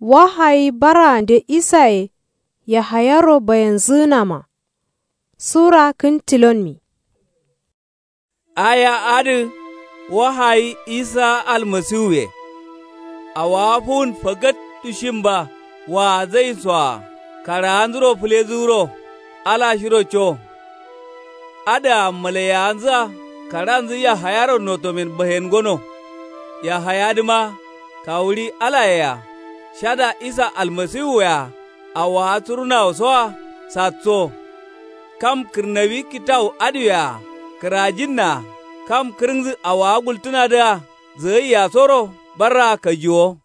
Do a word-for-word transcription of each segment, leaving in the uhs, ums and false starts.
Wahayi baraande isaye yahayaro bayenzǝgǝnama. Sura kǝn tilonmi. Aya adǝ wahayi isa almasiwuye. Awowa fuwun fagattu shimba waazayinsoa karaanzuro fǝlezǝgǝro ala shiro co. Adǝa malaiyawanzǝa karanzǝ yahayaro notomen bahen gono. Yahayadǝma kawuɍi alayea shada isa almasiwuwea awowa surunawosoa satso. Kam kǝrnawi kitawu adǝwea kǝrajinnaa kam kǝrǝngǝ awowa gultǝnadǝa zǝgaiyasoro barraa kajiwo.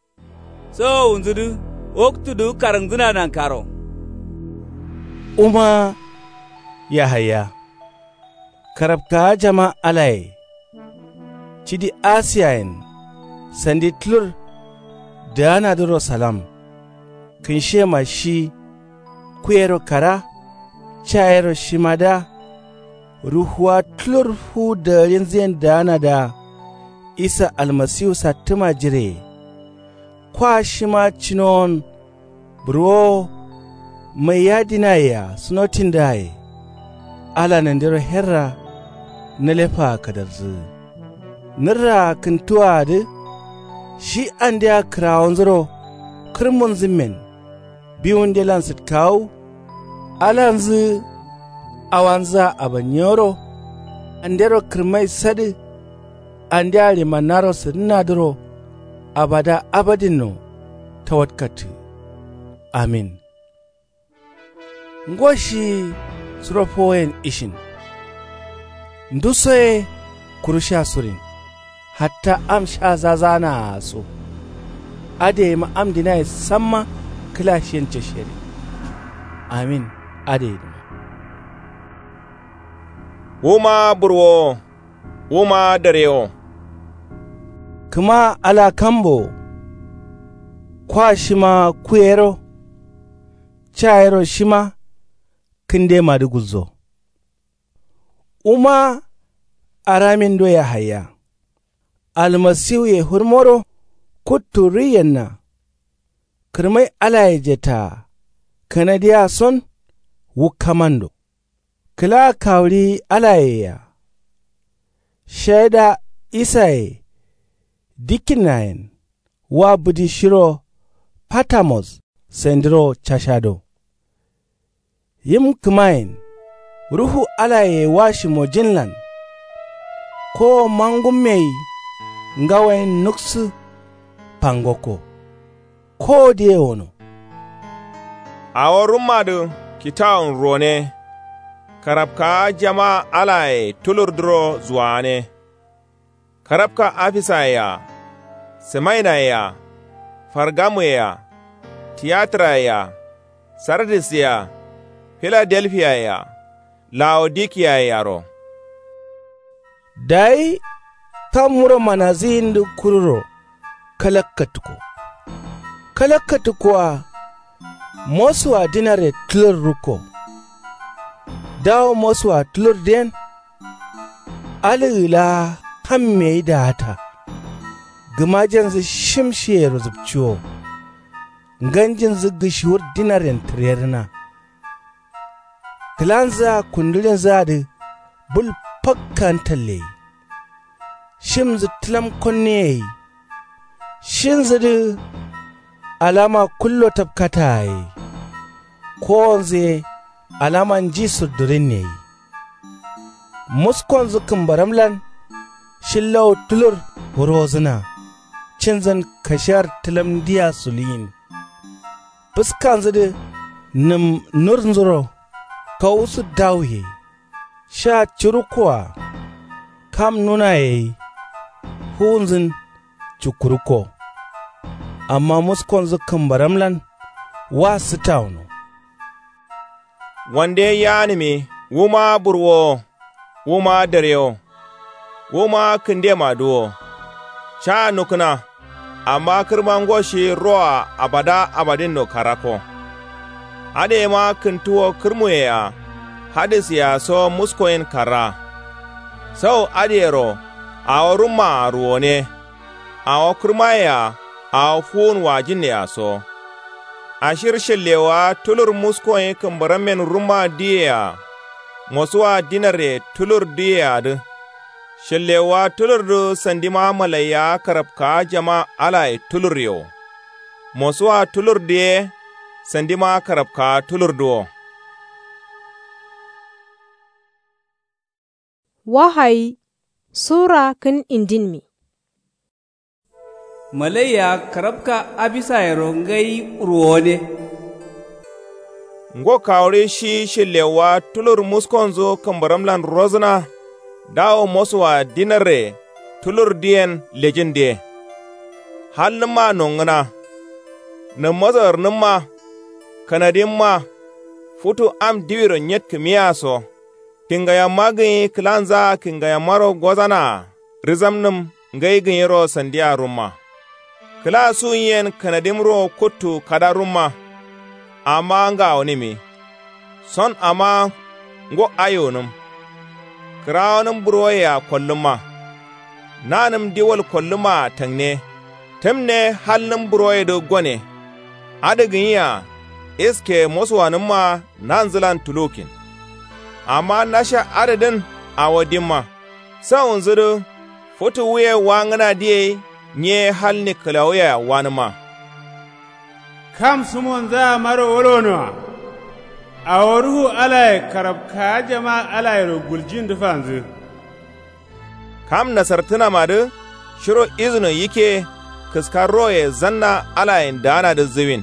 Sawowunzudǝ waktudǝgǝ karǝngǝdǝna nankaro. Wuma yahaya karabkawa jama alaye cidi asiyayen sandi tulur dǝganadǝro salam. Kǝnshiyema shi kuyero kara cayero shimadǝa ruhuwa tulur fuwu dagarinzǝyen dǝganadǝa isa almasiwu sattǝma jireye. Kwa shima cinowon burwowo maiya dinayea sunotindǝaye. Ala nandiro herra nǝlefaa kadarzǝgǝ nǝrraa kǝntuwaadǝ shi andea kǝrawonzuro kǝrmunzǝmmen biwundelan sǝtkawu. Alanzǝ awanzǝa abanyiyoro andero kǝrmai sadǝ andea ɍimannaro sǝdǝnnadǝro abada abadinno tawatkattǝ. Amin. Ngo shi suro fowoyen ishin nduso ye kuru sha surin hatta am sha zazaanaa so. Adǝ yema am dinaye samma kǝla shiyen cashiyere. Amin. Adǝ yedǝma. Wuma burwowo wuma darewo. Kǝma ala kambo wo kwa shima kuyero cayero shima kǝndemadǝ gulzo. Wuma aramindo yahaya almasiwuye fǝrmoro kuttu riyenna. Kǝrmai alaye jetaa kanadiya son wukkamando. Kǝla kawuɍi alayea shaida isaye dikkinnayen wa bǝdi shiro patamos sandiro cashado. Yim kǝmayen ruhu alaye wa shimojinlan kowo mangummeyi ngawoyen nuksǝ fangokko. Kowo diye wono. Awo rummadǝ kitawun ruwone. Karabkawa jama alaye tulurdǝro zuwagane. Karabka afisaye-a sǝmainaye-a fargamuyea tiyatǝraye-a sardisye-a filadelfiyaye-a lawodikiyaye-aro. Dayi kam wuro manazǝyindǝ kururo kalakkatukko. Kalakkatukkoa mosuwa dinare tulur rukko. Dawo mosuwa tulurdǝyen alǝgǝ laa kammeyi daata. Gǝmajenjǝ shim shiyero zǝpciwo. Nganjinjǝ gǝshiwur dinaren tǝrerǝna. Kǝlanzǝa kundǝɍinzǝadǝ bul fakkan talleyi. Shimnzǝ tǝlam konneyeyi. Shinzǝdǝ alama kullo tapkataye. Kowonzǝ ye alama nji surdǝrinneyi. Muskonzǝ kǝmbaramlan shillawu tulur wurozǝna. Cinzǝn kashiyar tǝlamdiya suluyin. Fǝskanzǝdǝ nǝm nurnzuro kawusǝ dawuye. Sha curukkoa kam nunayeyai fuwunzǝn cukkurukko. Amma muskonzǝ kǝmbaramlan wa sǝtawuno. Wande yaanǝmi wuma burwowo wuma darewo wuma kǝndemadǝ wo. Caa nukna. Amma kǝrma ngo shi roa abada abadinno karakko. Adǝ yema kǝntuwo kǝrmuyea hadǝsyea so muskoyin karra. Sau adǝyero awo rummaa ruwone. Awo kǝrmayea awo fuwun wajinnea so. Ashir shǝllewaa tulur muskon ye kǝmbarammen rumma diyeyea. Mosuwa dinarre tulur diyeyea dǝ. Shǝllewaa tulurdǝ sandima malaiya karapkaa jama alaye tulurye wo. Mosuwa tulurdǝ ye sandima karapkaa tulurdǝ wo. Wahayi sura kǝn indinmi. Malaiya karabka abisayero ngai ruwone. Ngo kawuri shi shillewwa tulur muskonzu kǝmbaramlan rozǝna. Dawo mosuwa dinarre tulur diyen lejin diye. Halnǝmma nongǝna. Nǝmmaso ǝrnǝmma. Kanadimma. Futu am diwiro nyetkǝmiya so. Kingayamma gǝnyi kǝlanzaa kingayammaro gozanaa. Rizamnǝm ngai gǝnyiro sandiya rumma. Kǝla suwunyen kanadimro kuttu kada rumma. Amma ngawonǝmi. Son amma ngo ayonǝm. Kǝrawonǝm buroyea kollǝmma. Nanǝm diwal kollǝmmaa tangne. Tǝmne halnǝm buroyedǝ gone. Adǝ gǝnyia iske mosuwanǝmma nanzǝlan tulukin. Amma nasha adǝdǝn awo dimma. Sawunzǝdǝ futu wuye wangǝna diyei nyiye halni kǝlawuyea wanǝmma. Kam sǝmonzaa maro wolonoa. Awo ruhu alaye karabkaa jama alayero guljindǝ fanzǝ. Kam nasartǝnamadǝ shiro izuno yikke kǝska roye zanna alayen daanadǝ zǝwin.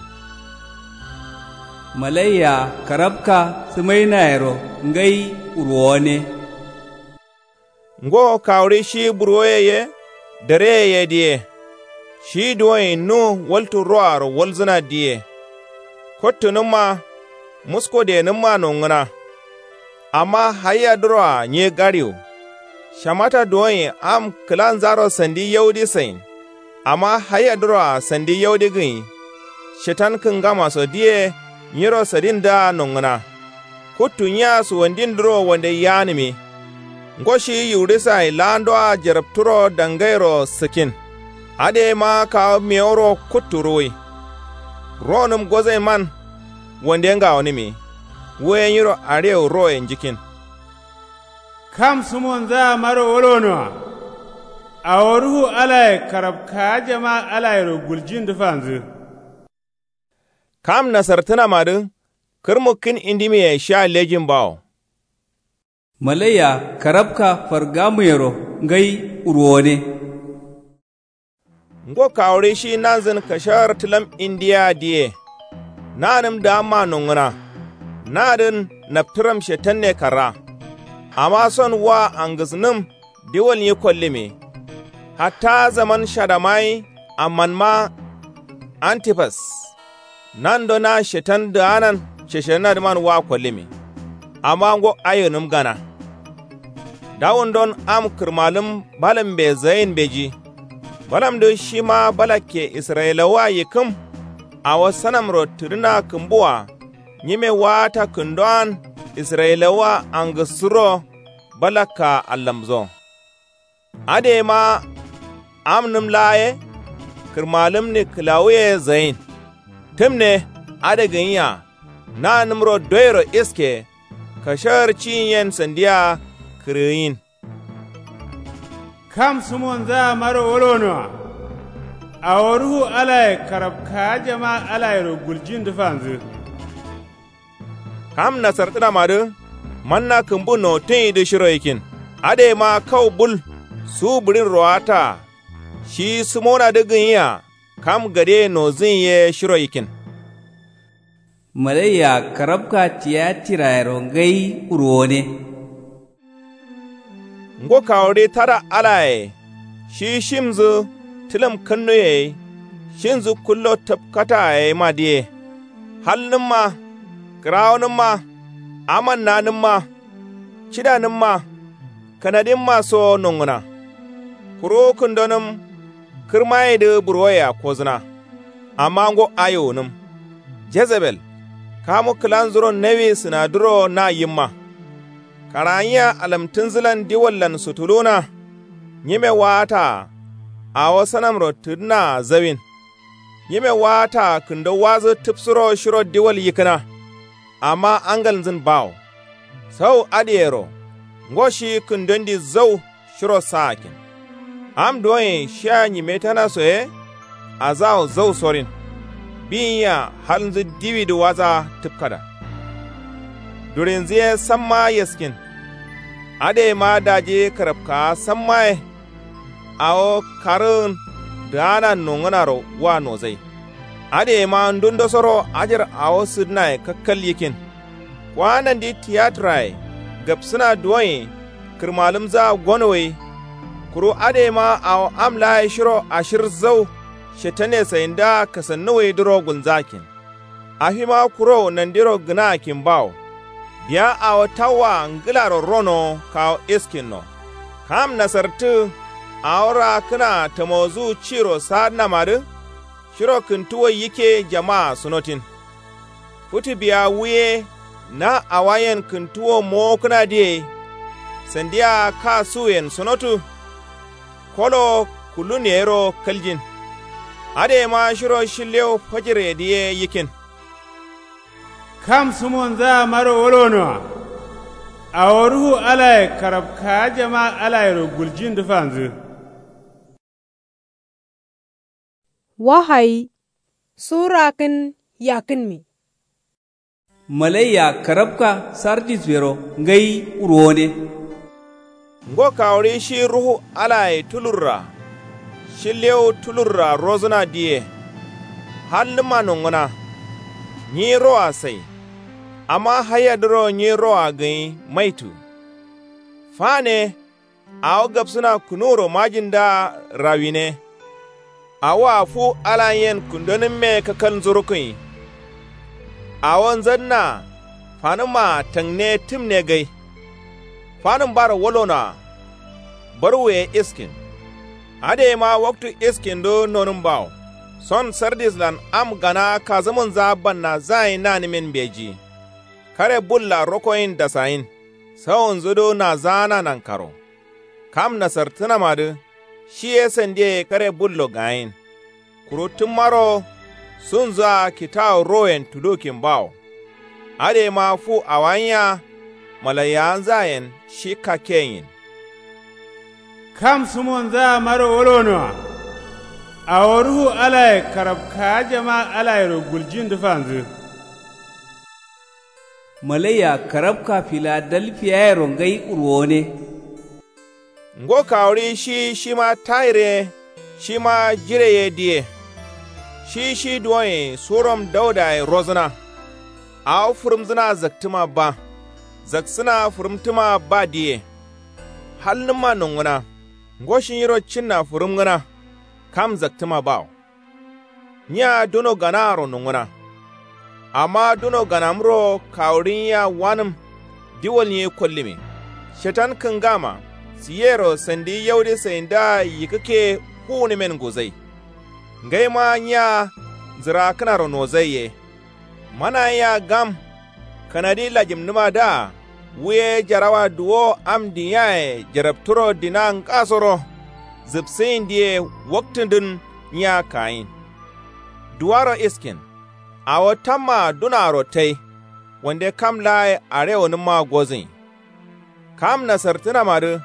Malaiya karabka sǝmainayero ngai ruwone. Ngo kawuri shi buroye ye dareye ye diye. Shi duwoyin nu waltu roaro walzǝna diye. Kottunǝmma muskodenǝmma nongǝna. Amma hayyadǝroa nyi gariwu. Shamata duwoyin am kǝlanzaro sandi yaudi sain. Amma hayyadǝroa sandi yaudi gǝnyi. Shetan kǝngamaso diye nyiro sadindǝa nongǝna. Kuttu nyiya suwandindǝro wande yanǝmi. Ngo shi yiwurisaye laandoa jarapturo dangairo sǝkin. Adǝ yema kawu meworo kuttu ruwui. Ronǝm gozainman wande ngawonǝmi. Wuye nyiro aɍewu roye njikin. Kam sǝmonzaa maro wolonoa. Awo ruhu alaye karabkaa jama alayero guljindǝ fanzǝ. Kam nasartǝnamadǝ kǝrmukkin indimiye sha lejin bawo. Malaiya karabka fargamuyero ngai ruwone. Ngo kawuri shi nanzǝn kashawar tǝlam indiya diye. Nanǝm daamma nongǝna. Nadǝn naptǝram shetanne karra. Amma son wa angǝsnǝm diwal nyi kollǝmi. Hatta zaman shadamayi ammanma antipas. Nando na shetan dǝanan sheshenadǝman wa kollǝmi. Amma ngo ayonǝm gana. Dawundon am kǝrmalǝm balambe zayin mbeji. Balamdǝ shima balakke israyilawa yikkǝm. Awo sanamro tǝdǝna kǝmbuwa. Nyime waata kǝndowan israyilawa angǝsǝro balakka allamzo. Adǝ yema amnǝm laa ye kǝrmalǝmni kǝlawuye zayin. Tǝmne adǝ gǝnyia nanǝmro doyero iske kashawar ciyinyen sandiya kǝrgǝnyin. Kam sǝmonzaa maro wolonoa. Awo ruhu alaye karabkaa jama alayero guljindǝ fanzǝ. Kam nasartǝnamadǝ manna kǝmbu notǝnyidǝ shiro yikin. Adǝ yema kau bul su bǝɍin rowataa. Shi sǝmonadǝ gǝnyia kam gadeye nozǝnyi ye shiro yikin. Malaiya karabka tiyatirayero ngai ruwone. Ngo kawuri tada alaye shi shimzǝ tǝlǝm kǝnnuye shinzǝ kullo tǝpkata ye ma diye. Halnǝmma kǝrawonǝmma amannanǝmma cidanǝmma kanadimma so nongǝna. Kuru kǝndonǝm kǝrmayedǝ burwoyea kozǝna. Amma ngo ayonǝm jezebel kamu kǝlanzuro nawi sǝnaduro na yimma. Karaanyiya alamtǝnzǝlan diwallan sutuluna. Nyime waataa awo sanamro tǝdǝnaa zawin. Nyime waataa kǝndo wadǝ tǝbsǝro shiro diwal yikkǝna. Amma angalnzǝn bawo. Sau adǝyero ngo shi kǝndondi zau shiro sa'akin. Am duwoye shiya nyimetanaso ye. Azawo zau sorin. Biyinya halnzǝ diwidǝ wadǝa tǝbkada. Durinzǝ ye samma yeskin. Adǝyema daji kǝrapkawa samma ye. Awo karǝgǝn dǝgana nongǝnaro wa nozai. Adǝyema ndundosoro ajar awo sǝdǝnaye kakkal yikkin. Kwa nandi tiyaturaye gapsǝna duwoye. Kǝrmalǝmzǝa gono gai. Kuru adǝyema awo am laaye shiro ashir zau shetane sayindǝa kasannu gaidǝro gulnzakin. Afima kuro nandiro gǝnakin bawo. Biya awo tawwa ngǝlaro ronowo kawo iskinno. Kam nasartǝ awo raakkǝna tamozu ciro sadǝnamadǝ. Shiro kǝntuwo yikke jamaa sunotin. Fǝtǝ biya wuye na awayen kǝntuwo mowokkǝnadǝ ye. Sandiya kasuwuyen sunotǝ. Kolo kullun yero kaljin. Adǝyema shiro shillewu fajirye dǝ ye yikkin. Kam sǝmonzaa maro wolonoa. Awo ruhu alaye karapkawa jamaa alayero guljindǝ fanzǝ. Wahayi sura kǝn yakkǝnmi. Malaiya karapka sardisbero ngai wurwone. Ngo kawuri shi ruhu alaye tulurra. Shi lewu tulurra rozǝna diye. Hallǝmma nongǝna. Nyi roa sai. Amma hayyadǝro nyi roa gǝnyi maitu. Fane. Awo gabsǝna kǝnuwuro majindǝa rawine. Awoa fu alayen kǝndonǝmme kakkalnzǝ rukkǝnyi. Awo nzadǝnaa fanǝmmaa tangne tǝmne gai. Fanǝmbaro wolonoa. Barwuye iskin. Adǝyema waktu iskindǝ nonǝm bawo. Son sardislan am gana kazǝmǝnza bannazaa ye nanǝmin mbeji. Kare bulla rokoyin dasayin. Sawunzǝdǝ nazaana nankaro. Kam nasartǝnamadǝ shi ye sandiye kare bullo gayin. Kuru tǝmmaro sunzǝa kitawu royen tulukin bawo. Adǝyema fu awayinya malaiyawanzayen shi kakkeyin. Kam sǝmonzaa maro wolonoa. Awo ruhu alaye karapkawa jamaa alayero guljindǝ fanzǝ. Malaiya karapka filadalfiyayero ngai wurwone. Ngo kawuri shi shima tayir ye shima jire ye diye. Shi shi duwonye surom daudaye rozǝna. Awo fǝrǝmzǝna zaktǝma ba. Zaksǝna fǝrǝmtǝma ba diye. Halnǝmma nongǝna. Ngo shi nyiro cinna fǝrǝmgǝna. Kam zaktǝma bawo. Nyiya duno ganaaro nongǝna. Amma duno ganamro kawurinyiya wanǝm. Diwalnyi kollǝme. Shetan kǝngama siyero sandi yaudi saindaa yikkǝkke fuwunǝmen nguzai. Ngaima nyiya nzǝrakkǝnaro nozai ye. Manayia gam kanadi lajimnǝmadǝa. Wu ye jarawa duwo am dǝnyaye jarapturo dina ngasoro. Zǝpsǝyindǝye waktǝndǝn nyiya kayin. Duwaro iskin. Awo tammaa dunaaro tai. Wande kam laaye arewonǝmma gozǝnyi. Kam nasartǝnamadǝ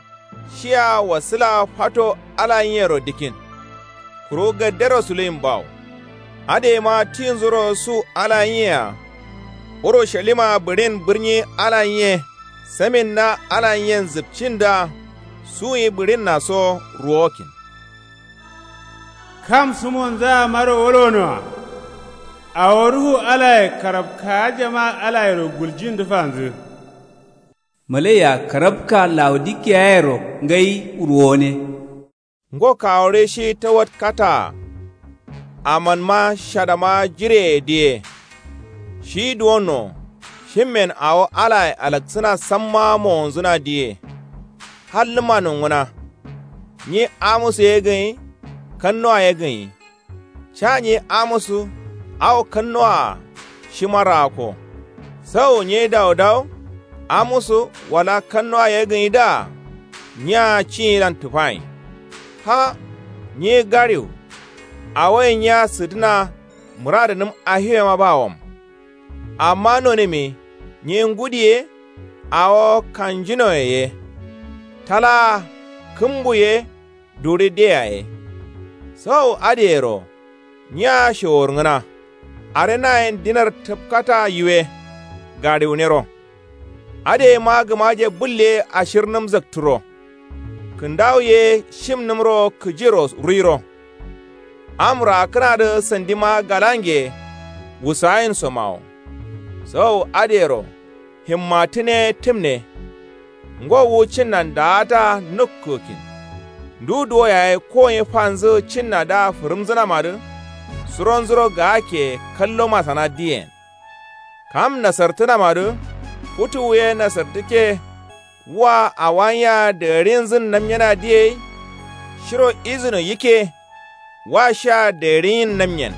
shiya wasǝla fato alanyiyero dikkin. Kuru gaddero suluyin bawo. Adǝyema tinzuro su alanyiyea. Urushalima bǝɍin bǝrnyi alanyiye. Samin na alanyiyen zǝpcindǝa. Suyi bǝɍinnaso ruwokin. Kam sǝmonzaa maro wolonoa. Awo ruhu alaye karapkawa jamaa alayero guljindǝ fanzǝ. Malaiya karapka laodikeyayero ngai wurwone. Ngo kawure shi tawat kataa. Amanma shadama jireye diye. Shi duwonno shimmen awo alaye alaksǝna samma mowonzǝna diye. Hallǝma nongǝna. Nyi amusu ye gǝnyi. Kannuwa ye gǝnyi. Ca nyi amusu awo kannuwaa shima raakko. Sau nyi daudaw amusu wala kannuwa ye gǝnyidǝa. Nyiya cinyilan tǝfayin. Ha nyi gariwu. Awoye nyiya sǝdǝna mǝradǝnǝm ahiwema bawom. Amma nonǝmi nyi ngudi ye awo kanjinoye ye talaa kǝmbu ye duri de yaye. Sau adǝyero nyiya shewurngǝna. Are nayen dinar tǝpkata yiwe gariwunero. Adǝ yema gǝmaje bǝl ye ashirnǝm zakturo. Kǝndawu ye shimnǝmro kǝjiro ruiro. Am raakkǝnadǝ sandima galange wusayin somawo. Sau adǝyero himmatǝne tǝmne. Ngo wu cinnan daata nukkǝgǝkkin. Ndu duwo yaye koye fanzǝ cinnadǝa fǝrǝmzǝnamadǝ suronzuro gaakke kallo masana diyen. Kam nasartǝnamadǝ futuwu ye nasartǝkke. Wa awanyiya dǝgarinzǝn namnyena diyei. Shiro izǝno yikke. Wa shiya dǝgarinyin namnyen.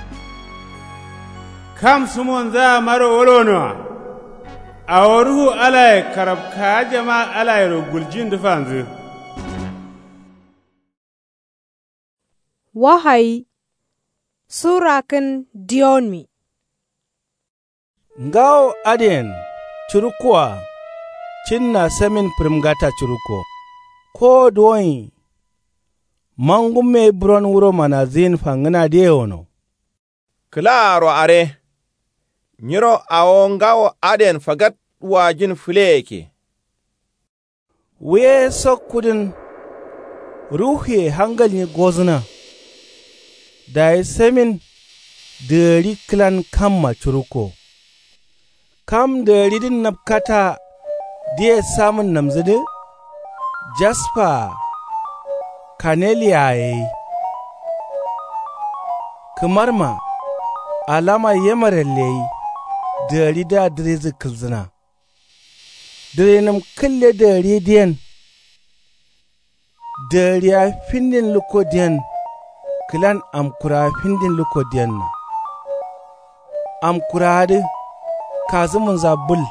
Kam sumonzaa maro wolonoa. Awo ruhu alaye karabkaajama alayero guljindǝ fanzǝ. Wahayi. Sura kǝn diyonmi. Ngawo adǝyen curukkoa. Cinna samin fǝrǝmgata curukko. Kowo duwonyi. Mangumme buron wuro manazǝyin fangǝna dǝ yewono. Kǝlaaro are. Nyiro awo ngawo adǝyen fagat wajin fǝle yakke. Wuye sokkudǝn. Ruhuye hangalnyi gozǝna. Dayi samin dǝgari kǝlan kamma curukko. Kam dǝgaridǝn napkata diye samǝnnamzǝdǝ. Jaspa-a kaneliya-a ye. Kǝmarma alama yemarel ye. Dǝgaridǝa dǝrizǝ kǝlzǝna. Dǝrinǝm kǝlle dǝgari diyen. Dǝgariya findin lukko diyen. Kǝlan amkurawa findin lukko diyenna. Amkurawadǝ kazǝmunza bǝl.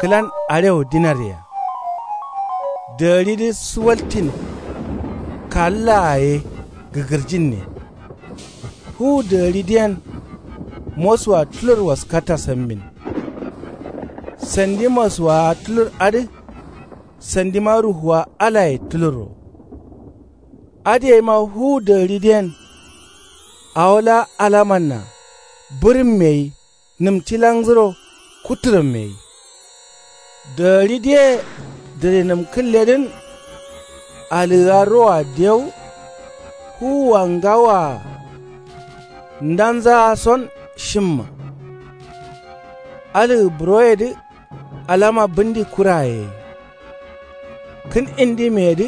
Kǝlan arewo dinaryeya. Dǝgaridǝ suwaltin. Kallaa ye gǝgǝrjinne. Fuwu dǝgari diyen. Mosuwa tulur waskata sammin. Sandi mosuwawa tulur adǝ. Sandima ruhuwa alaye tulurro. Adǝ yaima fuwu dǝgari diyen. Awo laa alamanna. Bǝrǝmme ye. Nǝmtilangǝro kutturǝmme ye. Dǝgari diye dǝrinǝm kǝlledǝn. Alǝgǝa roa dewu. Fuwua ngawoa. Ndanzaa son shimma. Alǝgǝ buroyedǝ. Alama bǝndi kuraye ye. Kǝn indimeyedǝ.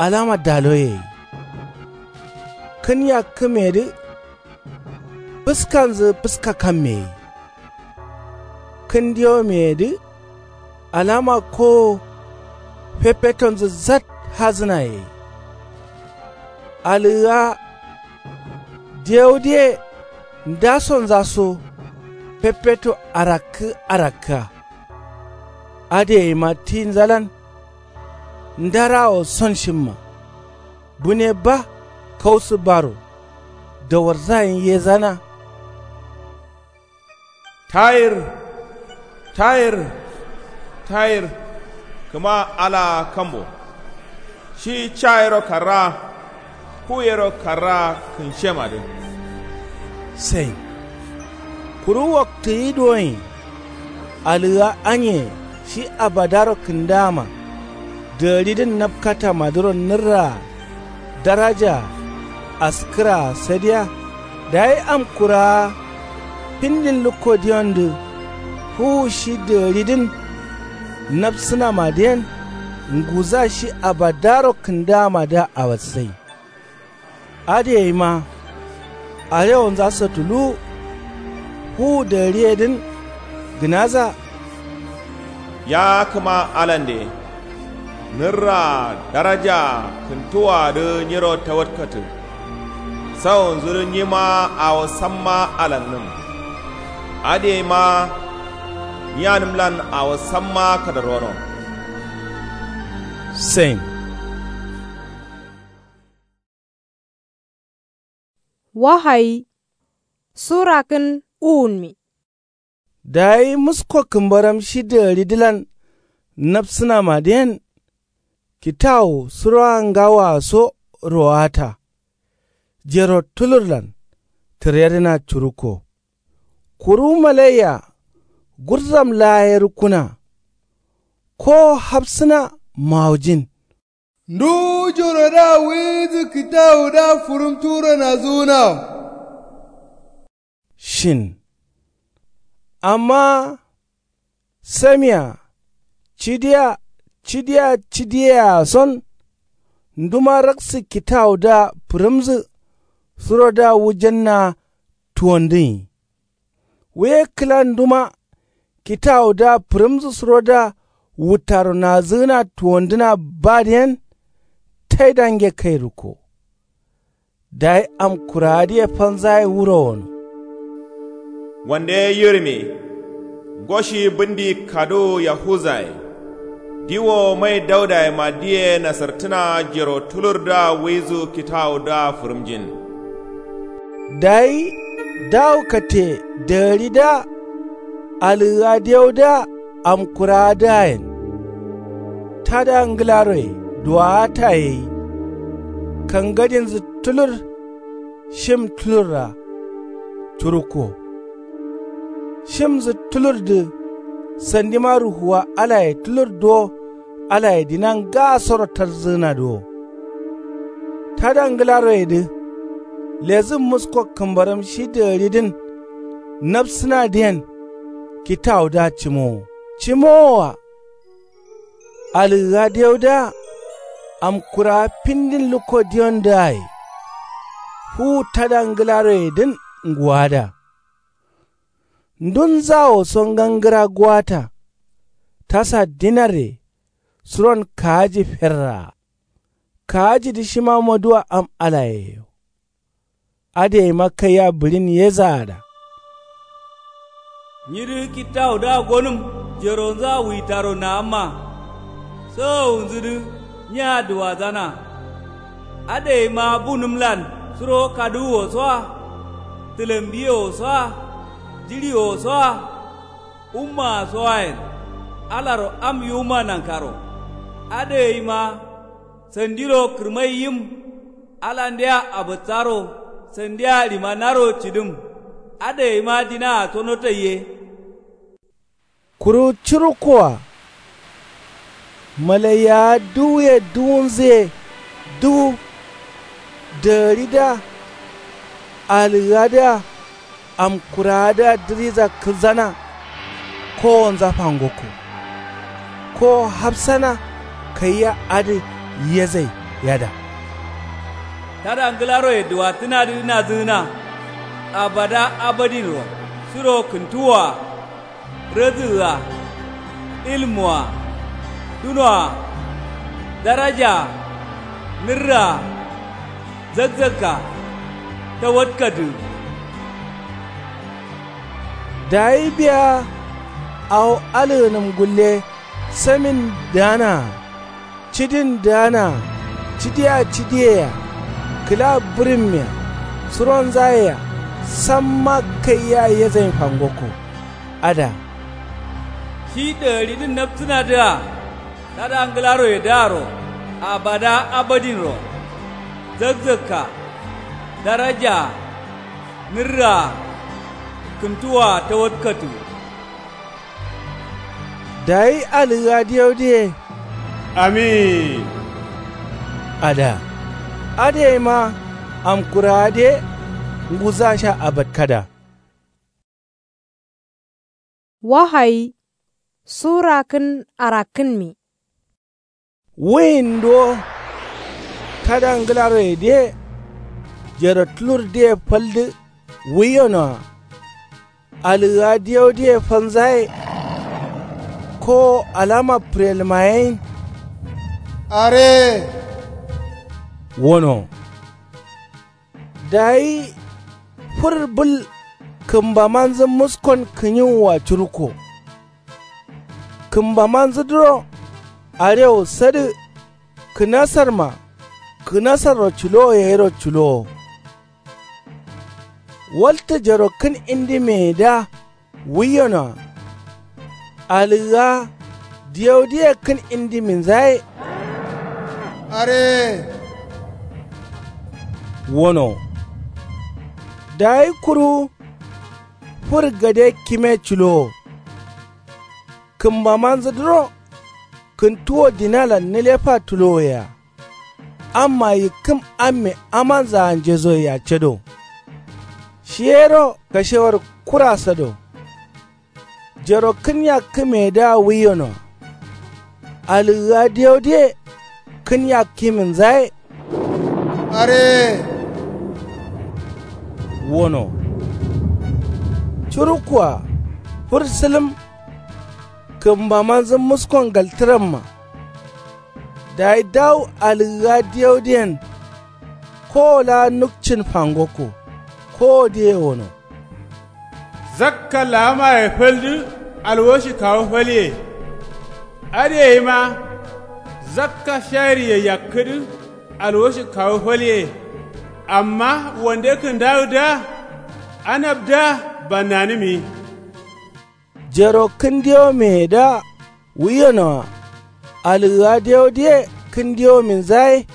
Alama daloye ye. Kǝn yakkǝmeyedǝ. Fǝskanzǝ fǝska kamme ye. Kǝn diyomeyedǝ. Alama kowo. Fefetonzǝ zat hazǝnaye ye. Alǝgǝa. Diyau diye. Ndasonza so. Feffeto arakkǝ arakkǝa. Adǝ yaima tinzalan. Ndarawo son shimma. Bune ba. Kausǝ baro. Dawarza yen yezana. Tayir. Tayir. Tayir. Kǝma alaa kambo. Shi ca yero karraa. Fu yero karraa kǝnshemadǝ. Sai. Kuru waktǝ yi duwonyi. Alǝgǝa anye shi abadaro kǝndama. Dǝgaridǝn napkatamadǝro nǝrraa. Darajaa. Askǝraa sadiya. Dayi amkurawa. Findin lukko diyondǝ. Fuwu shi dǝgaridǝn. Napsǝnamadǝ yen. Nguza shi abadaro kǝndamadǝa awassai. Adǝ yaima. Arewonza satuluwu. Fuwu dǝgariyedǝn. Gǝnaza. Ya kǝma alande. Nǝrraa darajaa kǝntuwaadǝ nyiro tawatkatǝ. Sawonzudǝ nyima awo samma alannǝm. Adǝ yaima. Nyiyanǝmlan awo samma kadarwono. Sen. Wahayi. Sura kǝn uwunmi. Dayi musko kǝmbaram shi dǝgǝridǝlan nabsǝnamadǝyen. Kitawu surowa ngawoa so rowata. Jero tulurlan tǝredǝna curukko. Kuru malaiya gurzam laa ye rukkuna. Kowo hafsǝna mawujin. Nduwu joro da wuyinzǝ kǝtawudǝa fǝrǝmturo nazǝgǝna. Shin. Amma samia cidiya cidiya cidiyea son. Nduma raksǝ kitawudǝa fǝrǝmzǝ surodǝa wujanna tuwondǝnyi. Wuye kǝla nduma kitawudǝa fǝrǝmzǝ surodǝa wuttaro nazǝgǝna tuwondǝna badǝyen. Taidange kairukko. Dayi amkurawadǝye fanzaye wuro wono. Wande yirmi. Ngoshi bǝndi kaduwu yahuzaye. Diwo mai daudayema diye nasartǝna jero tulurdǝa wuizu kitawudǝa fǝrǝmjin. Dayi dawu katte dagǝridǝa alǝgǝga deudǝa amkurawadǝayen. Tada ngǝlaroye duwawata yeyi. Kangadinzǝ tulur shim tulurra curukko. Shimzǝ tulurdǝ sandima ruhuwa alaye tulur duwo alaye dina ngasoro tarzǝgǝnadǝ wo. Tada ngǝlaroyedǝ lezǝ musko kǝmbaram shi dagǝridǝn. Nabsǝnadǝyen kitawudǝa cimowo cimowoa. Alǝgǝga deudǝa amkurawa findin lukko diyondǝaye. Fuwu tada ngǝlaroyedǝn nguwada. Ndunzawo so ngangǝra guwata. Tasa dinarre suron kaaji ferraa. Kaajidǝ shima maduwa am alayeyo. Adǝ yaima kaiya bǝɍin yezaada. Nyidǝ kittawudǝa gonǝm jeronzǝa wuitaro naamma. Sawawunzǝdǝ nya duwadzana. Adǝ yaima bunǝmlan suro kaduwuwo soa. Tǝlambiyewo soa. Jiɍiyewo soa. Ummaa soayen alaro am yiwuma nankaro. Adǝ yaima sandiro kǝrmai yim. Alandea abǝtsaro sandia ɍima naro cǝdǝm. Adǝ yaima dinaa so notaiye. Kuru curukkoa malaiyawa duwuye duwunzǝye duwu. Dagǝridǝa alǝgadǝa amkurawadǝa dǝriza kǝlzana. Kowonza fangokko. Kowo hafsana kaiya adǝ yezai yada. Tada ngǝlaroye duwattǝnadǝ nazǝgǝna. Abada abadinro suro kǝntuwwoa. Rǝdǝgǝa. Ilmuwa. Dunoa. Darajaa. Nǝrraa. Zakzakka. Tawatkadǝ. Dayi biya awo alǝgǝnǝm gulle samin dǝganaa. Cidin dǝganaa. Cidiya cidiyea. Kǝla bǝrǝmmea. Suronzayea. Samma kaiya yezain fangokko. Ada. Shi dagaridǝn napsǝnadǝa. Tada ngǝlaroyedǝaro. Abada abadinro. Zakzakka. Darajaa. Nǝrraa. Kǝntuwwoa tawatkatu. Dayi alǝgǝga diyaudǝye. Amin. Ada. Adǝ yaima amkurawadǝ ye. Nguzasha abatkada. Wahayi sura kǝn arakkǝnmi. Wuyin duwo. Tada ngǝlaroyedǝye. Jero tulurdǝye faldǝ. Wuyonoa. Alǝgǝga diyaudǝye fanzaye. Kowo alama pǝrelmayeyin. Are. Wono. Dayi fǝr bǝl kǝmbamanzǝ muskon kǝnyiwua curukko. Kǝmbamanzǝdǝro arewu sadǝ. Kǝnasarma kǝnasarro culowo yayiro culowo. Waltǝ jaro kǝn indi meyedǝa wuiyonoa. Alǝgǝa diyaudǝye kǝn indi minzaye. Are. Wono. Dayi kuru fǝr gade kime culowo. Kǝmbamanzǝdǝro kǝntuwo dinalan nǝlefa tulowoyea. Amma yikkǝm amme amanzaa njezoyea cado. Shiyero kashewar kura sado. Jaro kǝn yakkǝmeyedǝa wuiyonoa. Alǝgǝa diyaudǝye kǝn yakkiminzaye. Are. Wono. Curukkoa fǝr sǝlǝm. Kǝmbamanzǝ muskon galtǝramma. Dayi dawu alǝgǝa diyaudǝyen. Kowo laa nukcin fangokko. Kowodǝye wono. Zakka laamaye faldǝ alwoshi kawu falye. Adǝ yeima zakka shayirye yakkǝdǝ alwoshi kawu falye. Amma wande kǝndawudǝa anabdǝa bannanǝmi. Jaro kǝn diyo meyedǝa wuiyonoa. Alǝgǝa diyaudǝye kǝn diyo minzaye.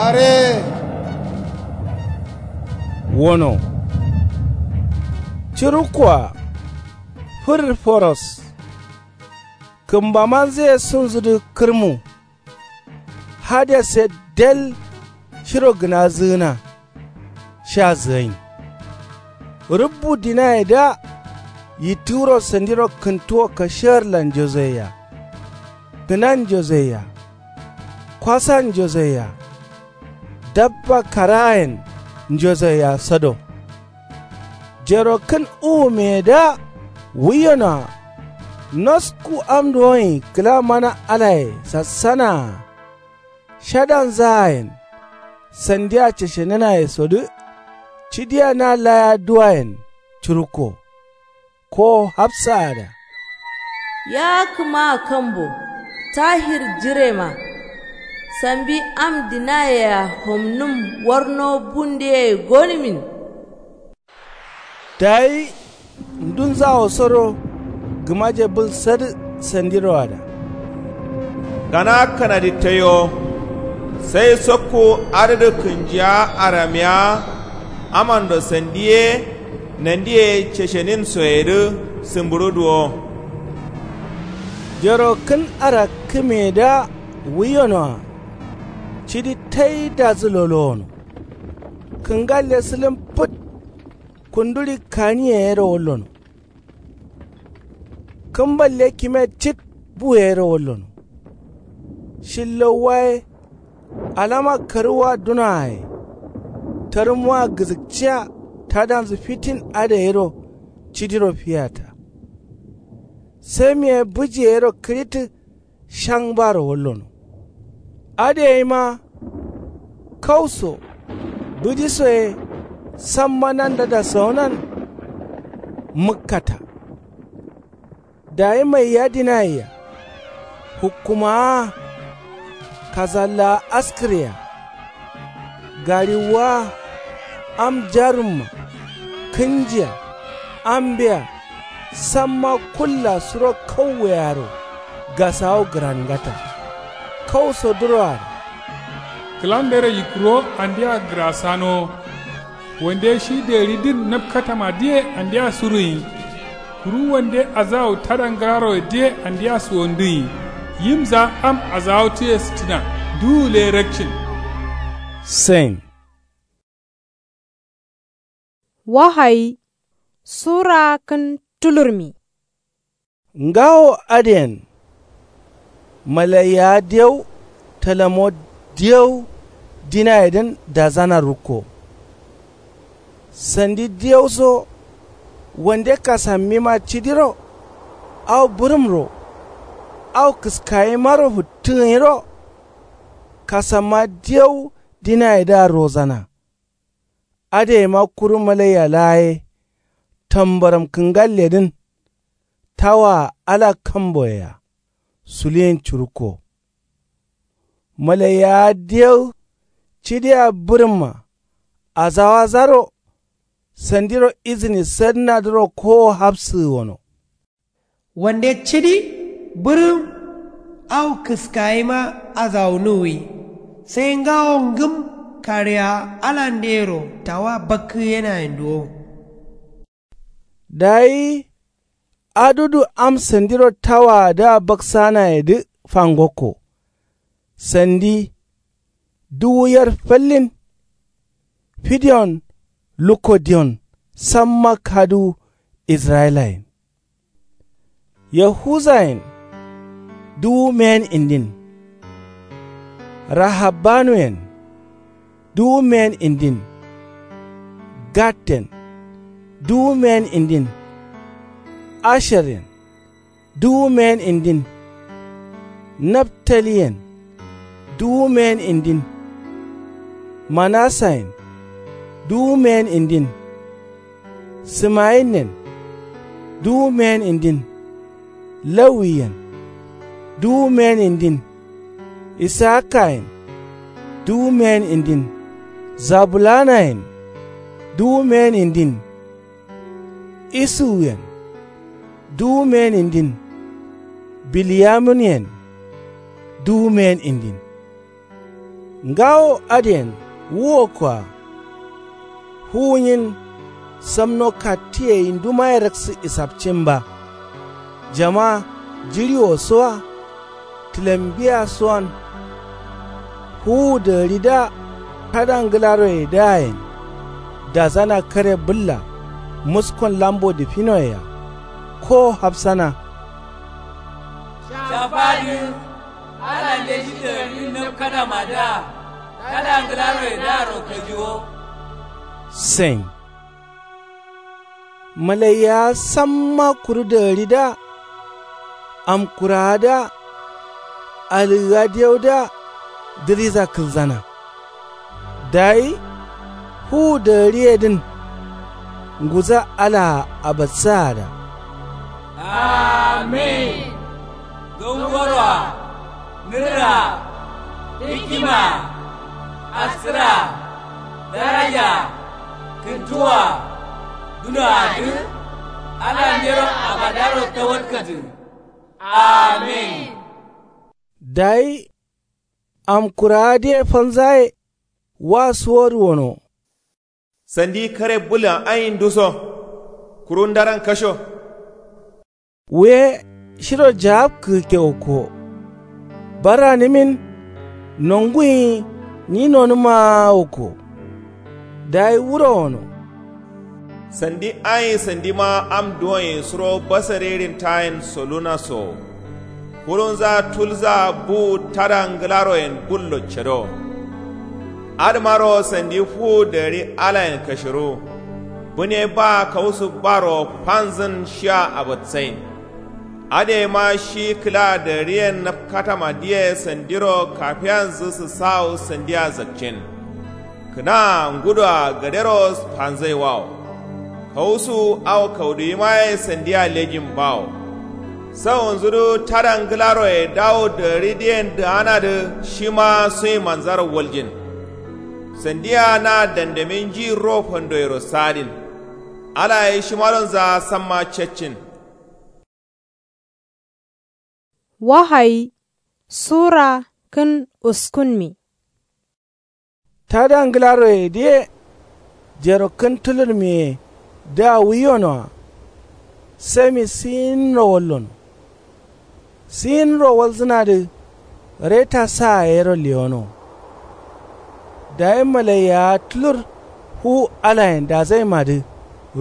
Are. Wono. Curukkoa fǝr foros. Kǝmbamanzǝye sunzudǝ kǝrmu. Hadesse del shiro gǝnazǝgǝna. Sha zǝgain. Rǝbbu dinayedǝa yittǝgǝro sandiro kǝntuwo kashegarlan njozoyea. Gǝnan njozoyea. Kwasan njozoyea. Dabba karaayen njozoyea sado. Jaro kǝn uwumeyedǝa wuiyonoa. Nosku amduwonyi kǝla mana alaye sassanaa. Shadanzaayen sandia ceshenǝnayesodǝ. Cidia na laya duwayen curukko. Kowo hafsaada. Ya kǝmaa kambo tahir jirema. Sambi am dinayea homnǝm warno bundeye gonimin. Dayi ndunzawosoro gǝmaje bǝl sadǝ sandiroada. Gana kanadi tayo. Sai sokku adǝdǝ kǝnjiya aramiya. Amando sandi ye nandi ye ceshenin soyedǝ sǝmbǝɍu duwo. Jaro kǝn arakkǝmeyedǝa wuiyonoa. Cidi taidazǝ lolowono. Kǝngalle sǝlǝm fǝt. Kunduɍi kaniye yero wallono. Kǝmballe kime cit bu yero wallono. Shillauwa ye alama karǝwwa dunoa ye. Tarǝmwa gǝzǝkciya tadanzǝ fitin adǝ yero cidiro fiyata. Samiye bǝji yero kǝɍittǝ. Shaŋbaro wallono. Adǝ yeima kau so bǝji so ye samma nanda dasawonan. Mǝkkata. Dayi maiya dinayea. Hukkumawa. Kasallawa askǝrya. Gariwwa. Am jarumma. Kǝnjiya. Ambeya. Samma kulla suro kauweyaro gasawo gǝrangata. Kau so duroaro. Kǝlandero yikkǝro andea gǝrasanowo. Wande shi deriddǝn napkatamadǝye andea suruyin. Kuru wande azawu tada ngǝraroyedǝye andea suwondǝyin. Yimza am azawatǝye sǝttǝna. Duwule rakcin. Sain. Wahayi sura kǝn tulurmi. Ngawo adǝyen. Malaiyawa diyau talamo diyau dinayedǝn dazana rukko. Sandi diyau so wande kasammima cidiro. Au bǝrǝmro au kǝskayimaro fǝttǝgǝnyiro. Kasamma diyau dinayedǝa rozana. Adǝyeima kuru malaiya laa ye tambaram kǝngalledǝn. Tawaa ala kamboyea suliyin curukko. Malaiyawa diyau cidiya bǝrǝmma. Azawazaro Sandiro izini sadǝnadǝro kowo hafsǝgǝ wono. Wande cidi bǝrǝm au kǝskayima azawunuwwi. Sai ngawo ngǝm kaɍea alandeyero tawa bakkǝyenayen duwo. Dayi adudu am sandiro tawaadǝa baksanayedǝ fangokko. Sandi duwu yer fallin. Fidiyon lukko diyon samma kaduwu israyilayen. Yahuzayen duwu meyen indin. Rahabbanuyen duwu meyen indin. Gadden duwu meyen indin. Asheryen duwu meyen indin. Naftaliyen duwu meyen indin. Manasayen duwu meyen indin. Simayinyen duwu meyen indin. Lawiyen duwu meyen indin. Isakayen duwu meyen indin. Zabulanayen duwu meyen indin. Isuwuyen duwu meyen indin. Bilyamunyen duwu meyen indin. Ngawo adǝyen wu wokkoa. Fuwunyin samno kattiye yindumaye raksǝ isapcin ba. Jama jiɍiwosoa tǝlembiyasoan. Fuwu dagǝridǝa tada ngǝlaroyedǝayen. Dazana kare bǝlla muskon lambo dǝfinoyea. Kowo hafsana. Shafadǝ alande shi dagǝridǝ napkatamadǝa tada ngǝlaroyedǝaro kajiwo. Sen. Malaiyawa samma kuru dagǝridǝa amkurawadǝa alǝgǝgadiyaudǝa dǝriza kǝlzana. Dayi fuwu dagǝriyedǝn nguza alaa abatsaada. Amin. Gangoroa nǝrraa hikkimaa askǝraa darajaa kǝntuwaa dunoadǝ alandero abadaro tawatkatǝ. Amin. Dayi amkurawadǝye fanzaye wa suwodu wono. Sandi kare bǝllan ayin duso kuru ndaran kasho. Wuye shiro jagabkǝgǝkke wokko. Barranǝmin nonguyi nyi nonǝmaa wokko. Dayi wuro wono. Sandi ayin sandima am duwonyi suro basarerin tayin solunasowo. Furunza tulzaa buwu tada ngǝlaroyen bullo cedowo. Adǝmaro sandi fuwu dagǝri alayen kashiruwu. Bǝne baa kausu baro fanzǝn shia abatsain. Adǝ yema shi kǝla dagǝriyen napkatamadǝye sandiro kafiyanzǝ sǝsawu sandia zakcin. Kǝnaa ngudoa gadero fanzaiwawo. Kausuwu au kauduyimaye sandia lejin bawo. Sawunzudǝ tada ngǝlaroye dawu dagǝridǝyen dǝganadǝ shima suyimanzaro waljin. Sandia na dandamin njiyirro fandoyero sadin. Alaye shimadonza samma caccin. Wahayi sura kǝn uskunmi. Tada ngǝlaroyedǝye jero kǝn tulurmiye dǝa wuyonoa. Sami siyinro wallono. Siyinro walzǝnadǝ reta saa yero lewono. Dayi malaiyawa tulur fuwu alayen dazaimadǝ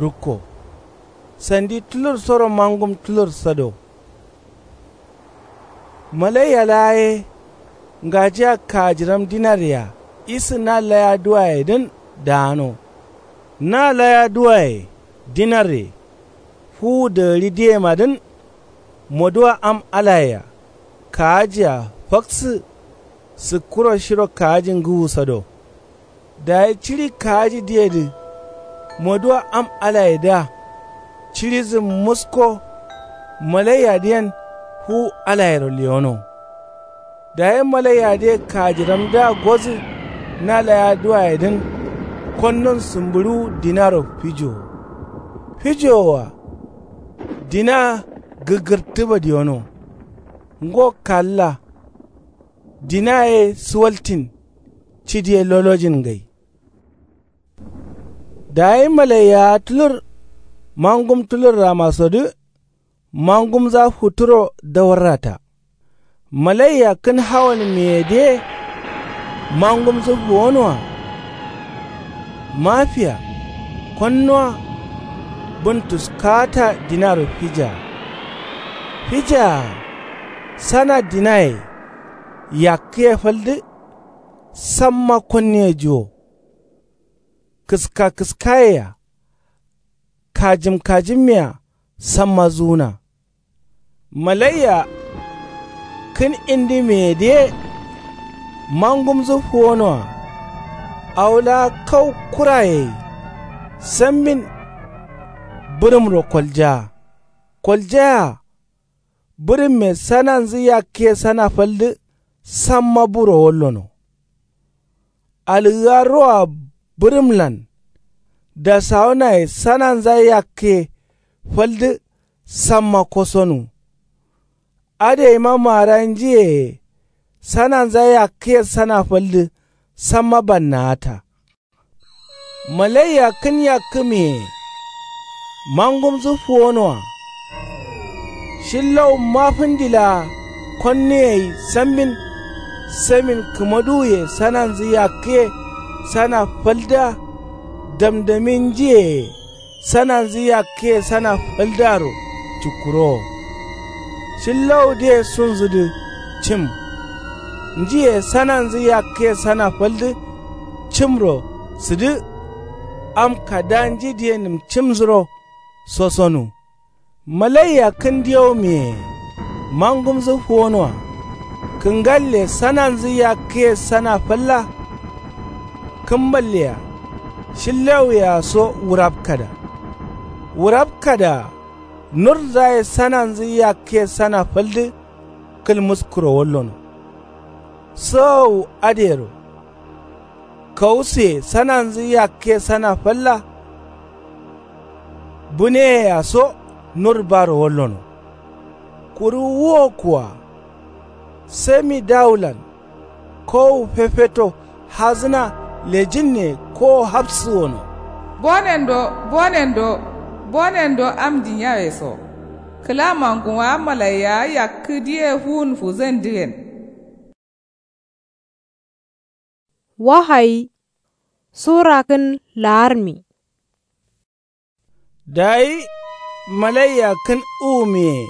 rukko. Sandi tulursoro mangum tulur sado. Malaiya laa ye ngajiya kajiram dinarye-a isǝ na laya duwayedǝn daano. Na laya duwaye dinarye fuwu dagǝridǝyemadǝn. Moduwa am alaye-a kaaji-a faksǝ sǝkkuro shiro kaaji ngǝwu sado. Dayi ciɍi kaajidǝyedǝ moduwa am alayedǝa ciɍidǝ musko. Malaiyadǝyen fuwu alayero lewono. Dayi malaiyadǝye kajiramdǝa godǝ na laya duwayedǝn. Konnon sǝmbǝɍuwu dinaro fijowo. Fijowoa dina gǝgǝrtǝ badiyono. Ngo kalla dina ye suwaltin. Cidi ye lolojin ngai. Dayi malaiyawa tulur mangum tulurramasodǝ mangumza futuro dawarrata. Malaiya kǝn hawan meyedǝye mangumzǝ fuwonoa. Mafiya konnuwa bǝn tuskata dinaro fijaa. Fijaa sana dinaye yakkǝye faldǝ. Samma konniye juwo kǝska kǝskayea kajǝm kajǝmmea samma zuwuna. Malaiya kǝn indi meyedǝye mangumzǝ fuwonoa. Awo laa kau kuraye sambin bǝrǝmro koljaa. Koljayea bǝrǝmme sananzǝ yakkǝye sana faldǝ. Samma buro wallono. Algǝga roa bǝrǝmlan dasawunaye sananza yakkǝye faldǝ. Samma kosonu. Adǝ yeima maara njiyeye sananza yakkǝye sana faldǝ. Samma bannawata. Malaiya kǝn yakkǝ meye mangumzǝ fuwonoa. Shillau mafǝndi laa konnuye gai sambin. Samin kǝmaduwuye sananzǝ yakkǝye sana faldǝa. Damdamin njiyeye sananzǝ yakkǝye sana faldǝaro cukkurowo. Shillawudǝye sunzudǝ cim. Njiye sananzǝ yakkǝye sana faldǝ cimro sǝdǝ. Am kada njidǝye nǝmcimzǝro sosonu. Malaiya kǝn diyau meye mangumzǝ fuwonoa. Kǝngalle sananzǝ yakkǝye sana falla. Kǝmballea shillawuyea so wurapkada. Wurapkada nurzaye sananzǝ yakkǝye sana faldǝ. Kǝlmuskuro wallono. Sǝwawu adǝyero kawusuye sananzǝ yakkǝye sana falla. Buneyea so nur baro wallono. Kuru wuwo kuwa sami dawulan kowu fefeto hazǝna lejinne kowo hafsǝ wono. Bonendo bonendo bonendo am dinyaweso kǝla manguma malaiyawa yakkǝ diye fuwun fuzǝndǝyen. Wahayi sura kǝn laarmi. Dayi malaiya kǝn uwumiye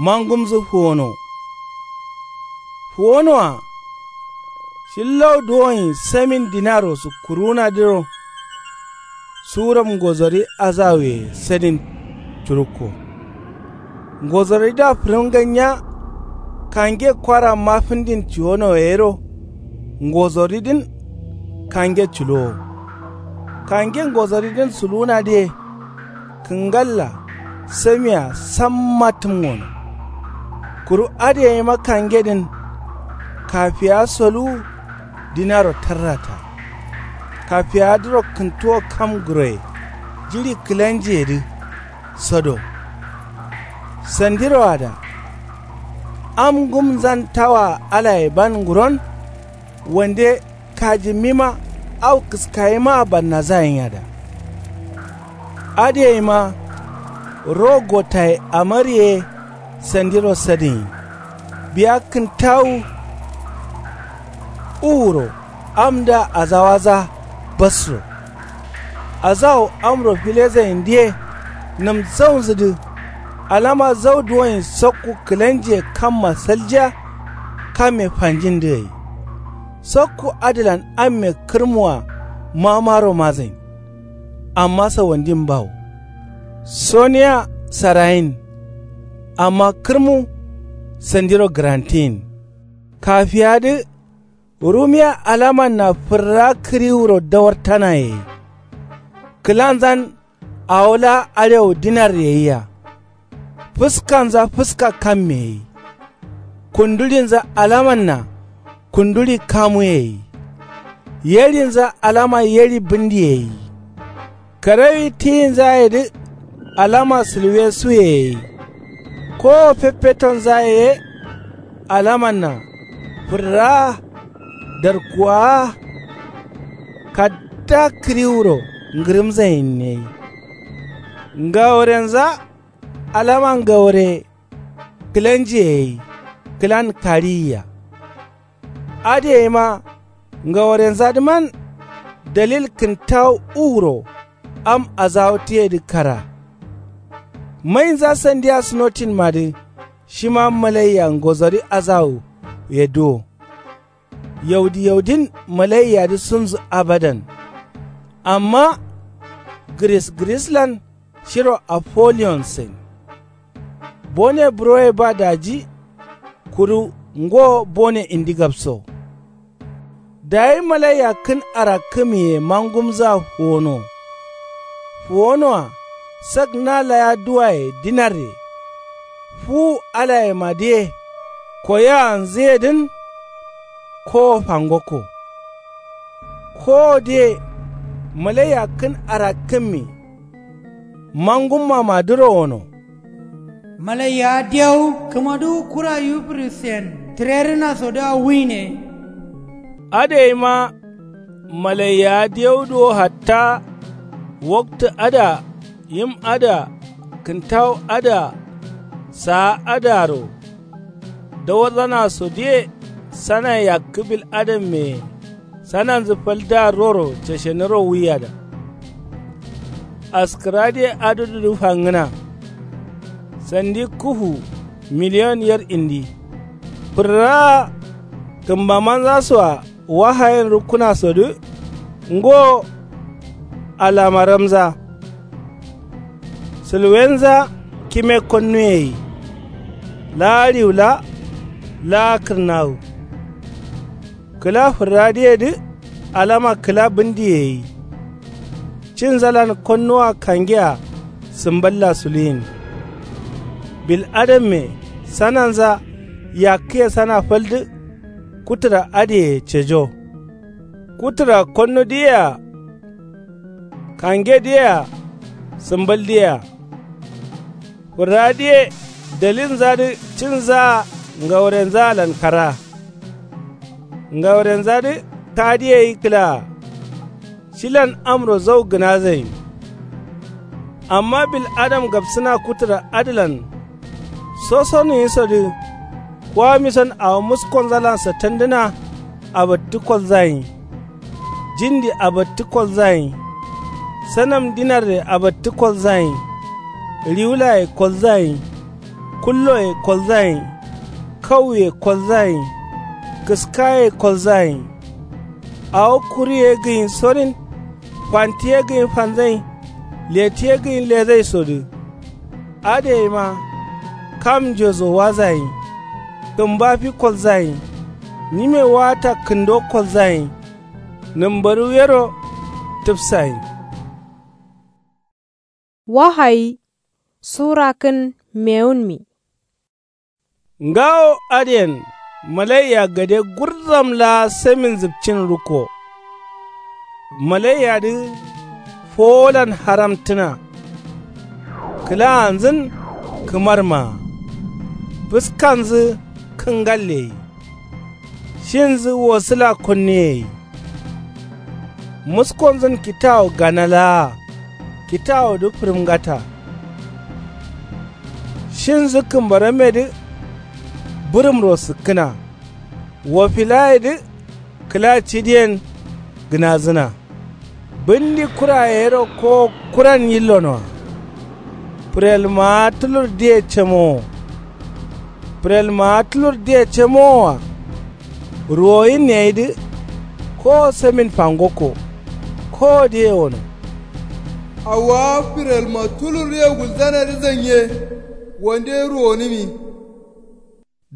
mangumzǝ fuwono. Fuwonoa shillau duwonyi samin dinaro sukkuruwunadǝro. Suram ngozori azawuye sadin curukko. Ngozoridǝa fǝrǝm ganya. Kange kwara mafǝndin cuwono yero. Ngozoridǝn kange culowo. Kange ngozoridǝn suluwunadǝye kǝngalla samia samma tǝmngono. Kuru adǝ yeima kangedǝn kafiyawa soluwu. Dinaro tarrata kafiyawadǝro kǝntuwo kam guroye jiɍi kǝlanjiyedǝ sodo. Sandiroada am ngumzan tawa alaye ban nguron. Wande kajimmima au kǝskayimaa bannazayinyada. Adǝ yeima ro gotaye amariye sandiro sadǝnyi. Biya kǝntawu uwuro amdǝa azawaza basro. Azawu amro filezayindǝye nǝmzaunzǝdǝ. Alama zau duwonyi sokku kǝlanjiye kamma saljiya. Kamme fanjindǝ gai sokku adǝlan amme kǝrmua mamaro mazain. Amma sawandin bawo soniya sarayin. Amma kǝrmu sandiro gǝrantiyin. Kafiya dǝ rumiya alamanna fǝrra kǝriwuro dawartana yai. Kǝlanzan awo laa arewu dinar yaiya. Fǝskanza fǝska kamme yai. Kunduɍinza alamanna kunduɍi kamuye yai. Yerinza alama yeri bǝndiye gai. Karawi tiyinzaye dǝ alama sǝlwesuye gai. Kowo feffetonzaye ye alamanna fǝrraa darkuwaa. Kadda kǝriwuro ngǝrǝmzain gai. Ngaworenza alama ngawore kǝlanjiye gai. Kǝlan kariyia. Adǝ gaima ngaworenza dǝman dalil kǝntawu uwuro am azawutǝyedǝ kara. Mainza sandiya sǝnotinmadǝ shima malaiya ngozori azawuye duwo. Yaudi yaudin malaiyadǝ sunzǝ abadan. Amma gǝris gǝrislan shiro apoliyonsen. Bone buroye ba daji kuru ngo bone indi gabso. Dayi malaiya kǝn arakkǝmiye mangumza fuwono. Fuwonoa sak na laya duwaye dinarre. Fuwu alayemadǝye koyaanzǝyedǝn. Kowo fangokko. Kowodǝye malaiya kǝn arakkǝmmi mangummamadǝro wono. Malaiya diyawu kǝmaduwu kura yufirisen tǝrerǝnasodǝa wuine. Adǝ gaima malaiya diyawudǝ wo hatta. Waktǝ adǝa yim adǝa kǝntawu adǝa saa adǝaro dawarzanasodǝye. Sana yakkǝ bil adamme sananzǝ faldǝa roro ceshenǝro wuiyada. Askǝradǝye adǝdǝdǝ fangǝna. Sandi kufu miliyon yer indi. Fǝrraa kǝmbamanzasoa wahayen rukkunasodǝ ngo alamaramza. Sǝlwenza kime konnuye gai. Laa riwula laa kǝrnawu. Kǝla fǝrradǝyedǝ alama kǝla bǝndiye gai. Cinzalan konnuwa kangea sǝmballa suluyin. Bil adamme sananza yakkǝye sana faldǝ. Kutura adǝye cejo. Kutura konnudǝyea kangedǝyea sǝmbaldǝyea. Fǝrradǝye dalinzadǝ cinzaa ngawarenzaalan kara. Ngawarenzadǝ kadǝye gai kǝlaa. Shilan amro zau gǝnazai. Amma bil adam gabsǝna kutura adǝlan sosonuwisodǝ. Kuwamison awo muskonzalan satandǝna abattǝ kolzagai. Jindi abattǝ kolzagai. Sanam dinarre abattǝ kolzagai. Riwulaye kolzagai. Kulloye kolzagai. Kauye kolzagai. Kǝskaye kolzagai. Awo kuri ye gǝyin sorin. Fanti ye gǝyin fanzagai. Leti ye gǝyin lezaisodǝ. Adǝ gaima kam njoso wazagai. Kǝmba fi kolzagai. Nyime waata kǝndo kolzagai. Nǝmbaru yero tǝfsagai. Wahayi sura kǝn mewunmi. Ngawo adǝyen malaiya gade gurzam laa samin zǝpcin rukko. Malaiyadǝ fowolan haramtǝna. Kǝlaanzǝn kǝmarmaa. Fǝskanzǝ kǝngalle gai. Shinzǝ wosǝla konnuye gai. Muskonzǝn kitawu gana laa kitawudǝ fǝrǝmgata. Shinzǝ kǝmbarammedǝ bǝrǝmro sǝkkǝna. Wofilayedǝ kǝla cidiyen gǝnazǝna. Bǝndi kuraye yero kowo kuran yillonoa. Fǝrelmaa tulurdǝye camowo. Fǝrelmaa tulurdǝye camowoa. Ruwoyinne gaidǝ kowo samin fangokko. Kowodǝye wono. Awowa fǝrelma tulurdǝye gulzanadǝ zanye. Wande ruwonǝmi.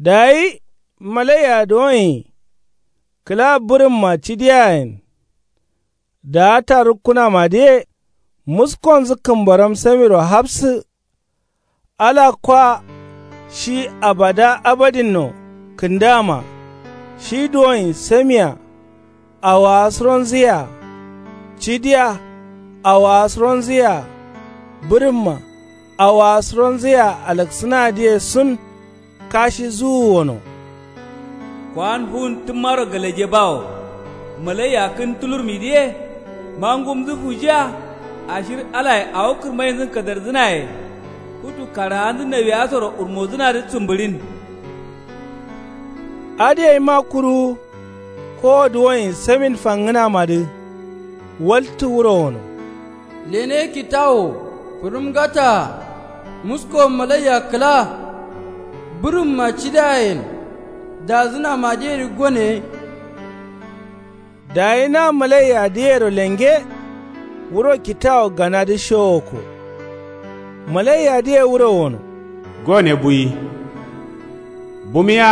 Dayi malaiya duwonyi kǝla bǝrǝmma cidiyayen. Daata rukkunamadǝye muskonzǝ kǝmbaram samiro hafsǝ. Ala kwa shi abada abadinno kǝndama. Shi duwonyi samia. Awowa suronzǝ yea. Cidiya. Awowa suronzǝ yea. Bǝrǝmma. Awowa suronzǝ yea alaksǝnadǝye sun. Kashi zuwu wono. Kowan fuwun tǝmmaro galaje bawo. Malaiya kǝn tulurmidǝye. Mangumdǝ fujiya. Ashir alaye awo kǝrmaindǝn kadarzǝnaye. Futu karahandǝ nawiyasoro wurmozǝnadǝ sǝmbǝɍin. Adǝ yaima kuru. Kowo duwoyen samin fangǝnamadǝ. Waltǝ wuro wono. Lene kitawo. Fǝrǝmgataa. Musko malaiya kǝla. Bǝrǝmma cidayen. Dazǝnamadǝyedǝ gone. Dayi na malaiyadǝyero lenge. Wuro kitawo ganadǝ showokko. Malaiyadǝye wuro wono. Gone buyi. Bumiya.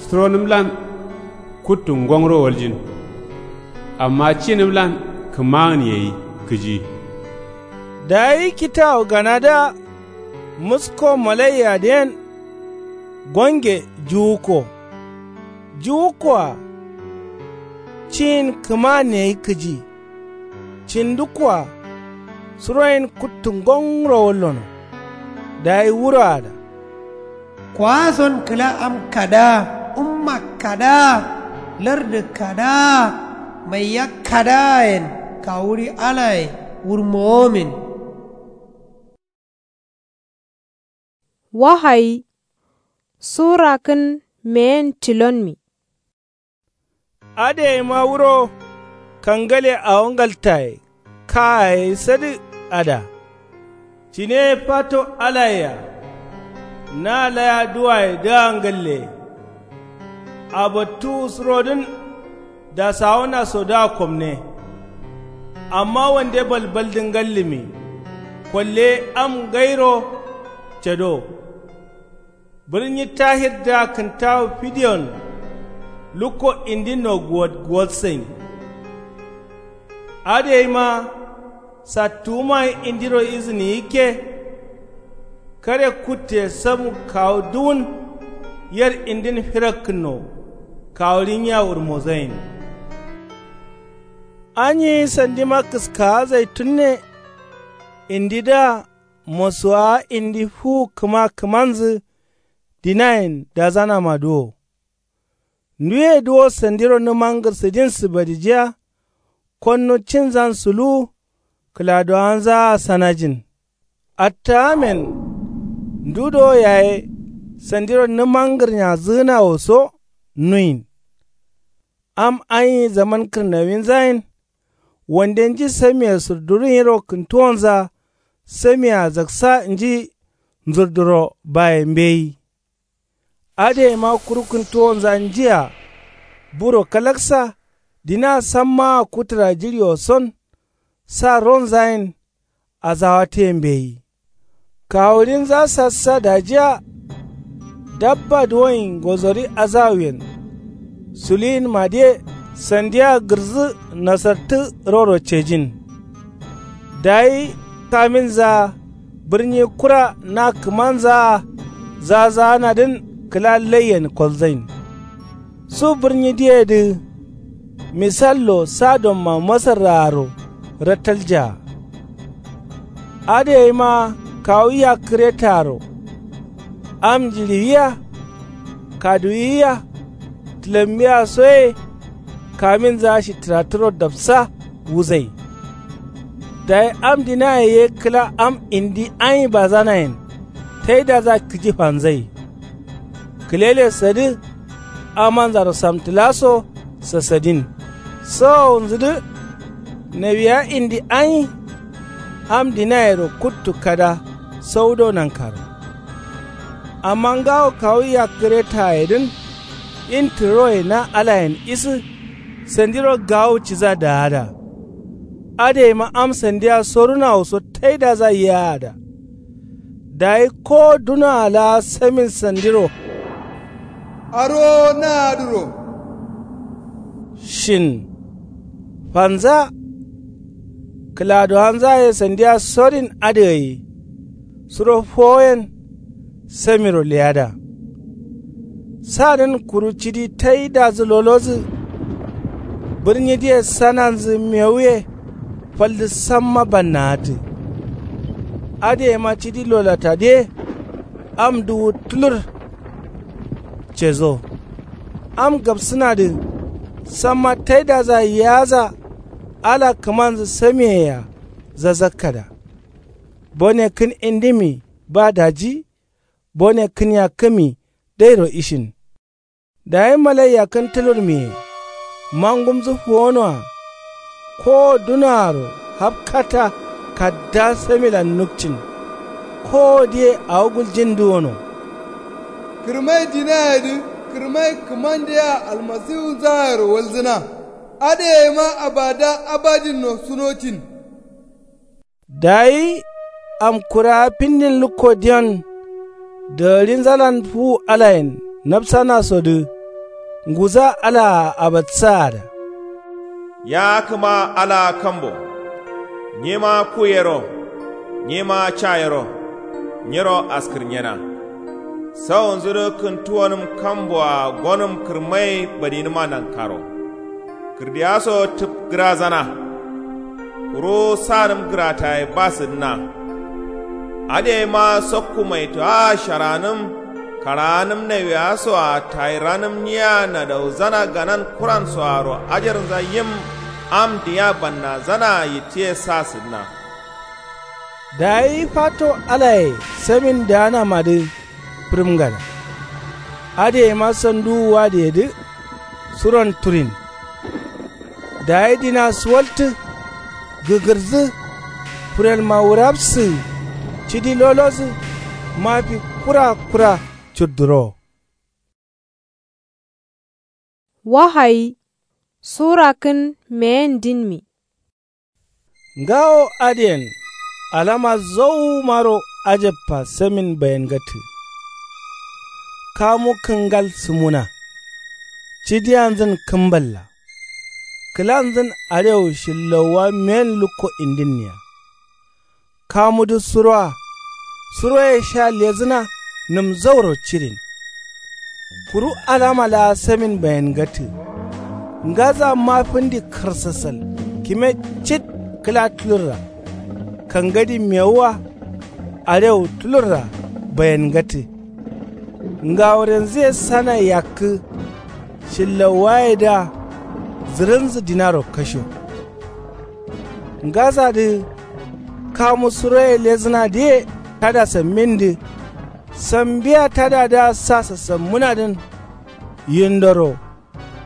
Suronǝmlan. Kuttu ngongro waljin. Amma cinǝmlan kǝmagǝn yeyi kǝji. Dayi kitawo ganadǝa. Musko malaiyadǝyen. Gonge juwukko. Juwukkoa. Ciyin kǝmagǝn yeyi kǝji. Cindǝkkoa. Suroyen kuttu ngongro wallono. Dayi wuroada. Kowason kǝla am kadaa. Umma kadaa. Lardǝ kadaa. Maiya kadaayen. Kawuɍi alaye. Wurmowomin. Wahayi. Sura kǝn meyen tilonmi. Adǝ yaima wuro. Kangale awo ngaltaye. Kayaye sadǝ. Ada. Cine fato alayea. Na laya duwaye dǝa ngalle. Abattuwu surodǝn. Dasawonaso dǝa komne. Amma wande balbaldǝ ngallǝmi. Kolle am ngairo. Cado. Bǝrnyi tahirdǝa kǝntawu fidiyon. Lukko indinno guwot guwotsain. Adǝ yaima. Sattuwumaye indiro izǝni yikke. Kare kutte samu kawu duwun. Yer indin firakkǝnno. Kawuɍi nyiya wurmozain. Anyi sandima kǝskawa zaitunne. Indidǝa. Mosuwawa indi fuwu kǝma kǝmanzǝ. Dinayen dazanamadǝ wo. Nduye duwo sandiro nǝmangǝr sǝdinsǝ badijiya. Konnu cinzan suluwu. Kǝladowanzaa sanajin. Attawamen. Ndu do yaye. Sandiro nǝmangǝrnyazǝgǝnawo so. Nuyin. Am anyi zaman kǝrnawinzayen. Wande nji samiye surduru nyiro kǝntuwonza. Samiyea zaksa nji nzurduro baye mbeyi. Adǝ yaima kuru kǝntuwonza njia. Buro kalaksa. Dina sammaa kutǝra jiɍiwo son. Sa ronzayen. Azawatǝye mbeyi. Kawuɍinza sassa dajiya. Dabba duwoyen ngozori azawuyen. Suluyinmadǝye. Sandiya gǝrzu nasartǝ roro cejin. Dayi kaminzaa. Bǝrnyi kura na kǝmanzaa. Zazaanadǝn kǝla laiyen kolzain. Su bǝrnyi diyedǝ. Misallo sadomma masarraaro. Rattaljaa. Adǝ yaima kawu yakkǝretaro. Am njiɍiwiya. Kaduwiya. Tǝlammiya soye. Kaminza shittǝratturo dapsa. Wuzai. Dayi am dinaye ye kǝla am indi anyi bazanayen. Taidaza kǝji fanzai. Kǝlele sadǝ. Amanzaro samtǝlaso. Sasadin. Sawowunzǝdǝ. Nawiya indi anyi. Am dinayero kuttu kada. Saudo nankaro. Amma ngawo kawu yakkǝretayedǝn. Intǝroye na alayen isǝ. Sandiro gawu ciza daada. Adǝ yaima am sandiya sorunawo so taidaza yiyaada. Dayi kowo dunoa laa samin sandiro. Arowo na adǝro. Shin. Fanza. Kǝladowanza ye sandiya sorin adǝ gai. Suro fowoyen. Samiro leyada. Sadǝn kuru cidi taidazǝ lolozǝ. Bǝrnyi dǝye sananzǝ mewuye. Faldǝ samma banna'attǝ. Adǝ yema cidi lolatadǝ ye. Am duwu tulur cezo. Am gabsǝnadǝ samma taidaza yaza. Ala kǝmanzǝ samiyeyea zazakkada. Bone kǝn indimi ba daji. Bone kǝn yakkǝmi dairo ishin. Dayi malai yakkǝn tulurmiye. Mangumzǝ fuwonoa. Kowo dunoaro hafkata. Kadda samilan nukcin. Kowodǝye awo guljin duwono. Kǝrmai dinayedǝ kǝrmai kǝmandeyea almasihunzayero walzǝna. Adǝ yaima abada abadinno sunocin. Dayi amkurawa findin lukko diyon. Dagarinzalan fuwu alayen nafsanasodǝ. Nguza alaa abatsaada. Ya kǝma alaa kambo. Nyema ku yero. Nyema ca yero. Nyiro askǝrnyena. Saunzudǝ kǝntuwonǝm kamboa gonǝm kǝrmai badinǝma nankaro. Kǝrdiya so tǝp gǝrazana. Kuru sanǝm gǝrataye ba sǝdǝna. Adǝ yaima sokku maitoa sharanǝm. Karaanǝm naiweya soa tayiranǝm nyiya nadauzana ganan kuran soaro ajarnza yim. Am diya bannazanaa yittǝye sa sǝdǝna. Dayi fato alaye samin daanamadǝ. Fǝrǝmgada. Adǝ yaima sanduwu wadǝyedǝ. Suron turin. Dayi dina suwaltǝ. Gǝgǝrzǝ. Furelma wurafsǝ. Cidi lolozǝ. Mafi kura kura. Cudduro. Wahayi. Sura kǝn meyen dinmi. Ngawo adǝyen alama zauwumaro. Ajabba samin bayengatǝ. Kamu kǝngal sǝmuna. Cidiyanzǝn kǝmballa. Kǝlanzǝn arewu shillauwa meyen lukko indinniya. Kamudǝ suroa. Suroye sha lezǝna. Nǝm zauro cidin. Kuru alama laa samin bayengatǝ. Ngaza mafǝndi karsasal kime cit. Kǝla tulurra. Kangadi mewuwa. Arewu tulurra. Bayengatǝ. Ngawurenzǝye sana yakkǝ. Shillawayedǝa. Zǝrǝnzǝ dinaro kasho. Ngasadǝ. Kamu suroye lezǝnadǝye. Tada sammindǝ. Sambiya tadadǝa sa sasammǝnadǝn. Yindoro.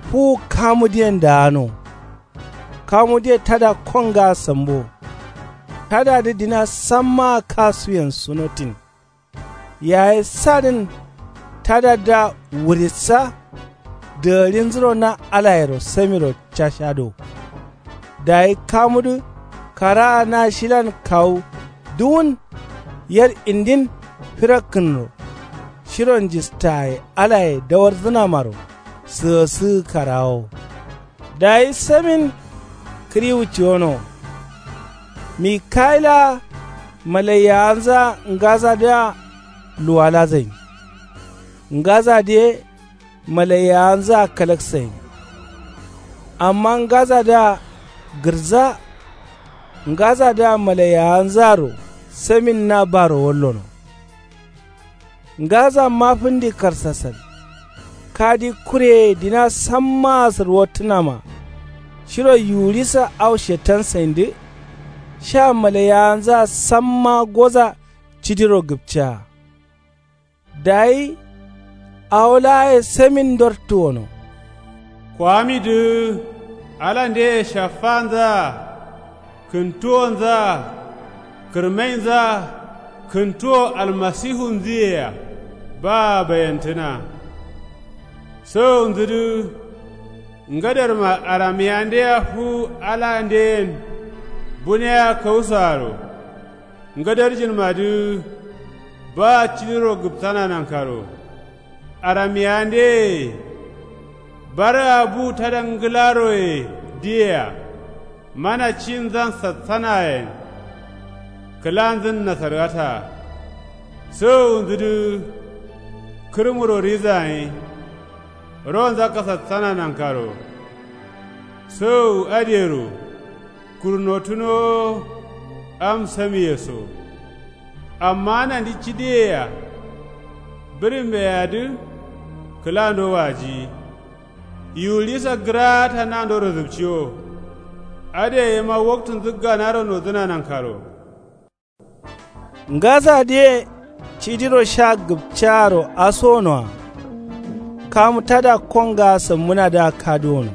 Fuwu kamudǝyen daano. Kamudǝye tada kongaa sambo. Tadadǝ dina sammaa kasuyen sunotin. Yaye sadǝn. Tadadǝa wurissa. Dagarinzuro na alayero samiro cashado. Dayi kamudǝ. Karaa na shilan kawu duwun. Yar indin. Firakkǝnro. Shiro njistaye alaye dawarzǝnamaro. Sǝgasǝgǝ karawo. Dayi samin. Kǝriwu ciwono. Mikayila. Malaiyawanzǝa ngasadǝa. Luwalazain. Ngasadǝ ye. Malaiyawanzǝa kalaksain. Amma ngasadǝa. Gǝrza. Ngasadǝa malaiyawanzǝaro. Samin na baro wallono. Ngasa mafǝndi karsasal. Kadi kureye dina sammaa sǝrwottǝnama. Shiro yuwurisa au shetansaindǝ. Sha malaiyawanzǝa samma goza. Cidiro gǝpcaa. Dayi. Awo laaye samin ndortǝ wono. Kwamidǝ. Ala ndeye shaffanzaa. Kǝntuwonzaa. Kǝrmainzaa. Kǝntuwo almasihunzǝyea. Baa bayantǝna. Sowonzǝdǝ. Ngadarma aramiyandea fuwu alandǝyen. Buneya kausoaro. Ngadarjinmadǝ. Ba cidiro gǝpsana nankaro. Aramiyandeye. Baraa bu tada ngǝlaroye. Diyea. Mana cinzan sassanayen. Kǝlanzǝn nasargata. Sowowunzǝdǝ. Kǝrmuro rizayin. Ronza kasassana nankaro. Sowu adǝyero kurnotunowo. Am samiye so. Amma nandi cidiyeyea bǝrimbeyea dǝ kǝlando wajiyi. Yiwuɍisa gǝraata nandoro zǝpciwo. Adǝye yema waktunzǝ ganaro nodǝna nankaro. Ngasadǝye cidiro sha gǝpcaaro asonoa. Kamu tada kongaa sǝmmǝnadǝa kaduwono.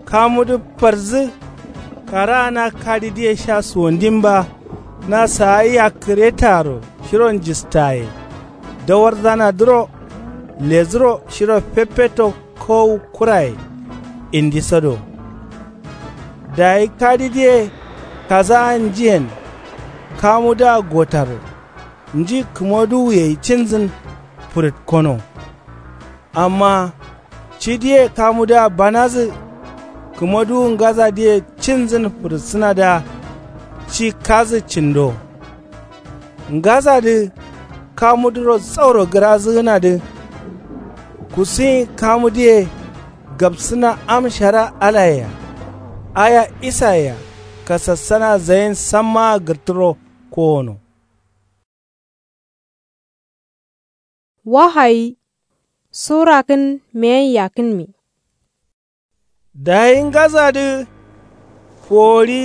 Kamudǝ farzǝ. Karaa na kadidǝye sha suwandimba. Na saayia kǝretaro shiro njistaye. Dawarzanadǝro ledǝro shiro feffetto kowu kuraye. Indiso do. Dayi kadidǝye kasaa njiyen. Kamudǝa gotaro nji kǝmoduwuyei cinzǝn fǝrǝtkono. Amma cidǝye kamudǝa banadǝ. Kǝmoduwu ngasadǝye cinzǝn fǝrǝtsǝnadǝa. Ci kadǝ cindo. Ngasadǝ kamudǝro zauro gǝrazǝgǝnadǝ. Kusuyin kamudǝye gapsǝna am shara alayea. Aya isayea kasassana zayin sammaa gǝrtǝro kowono. Wahayi sura kǝn meyen yakkǝnmi. Dayi ngasadǝ fuwori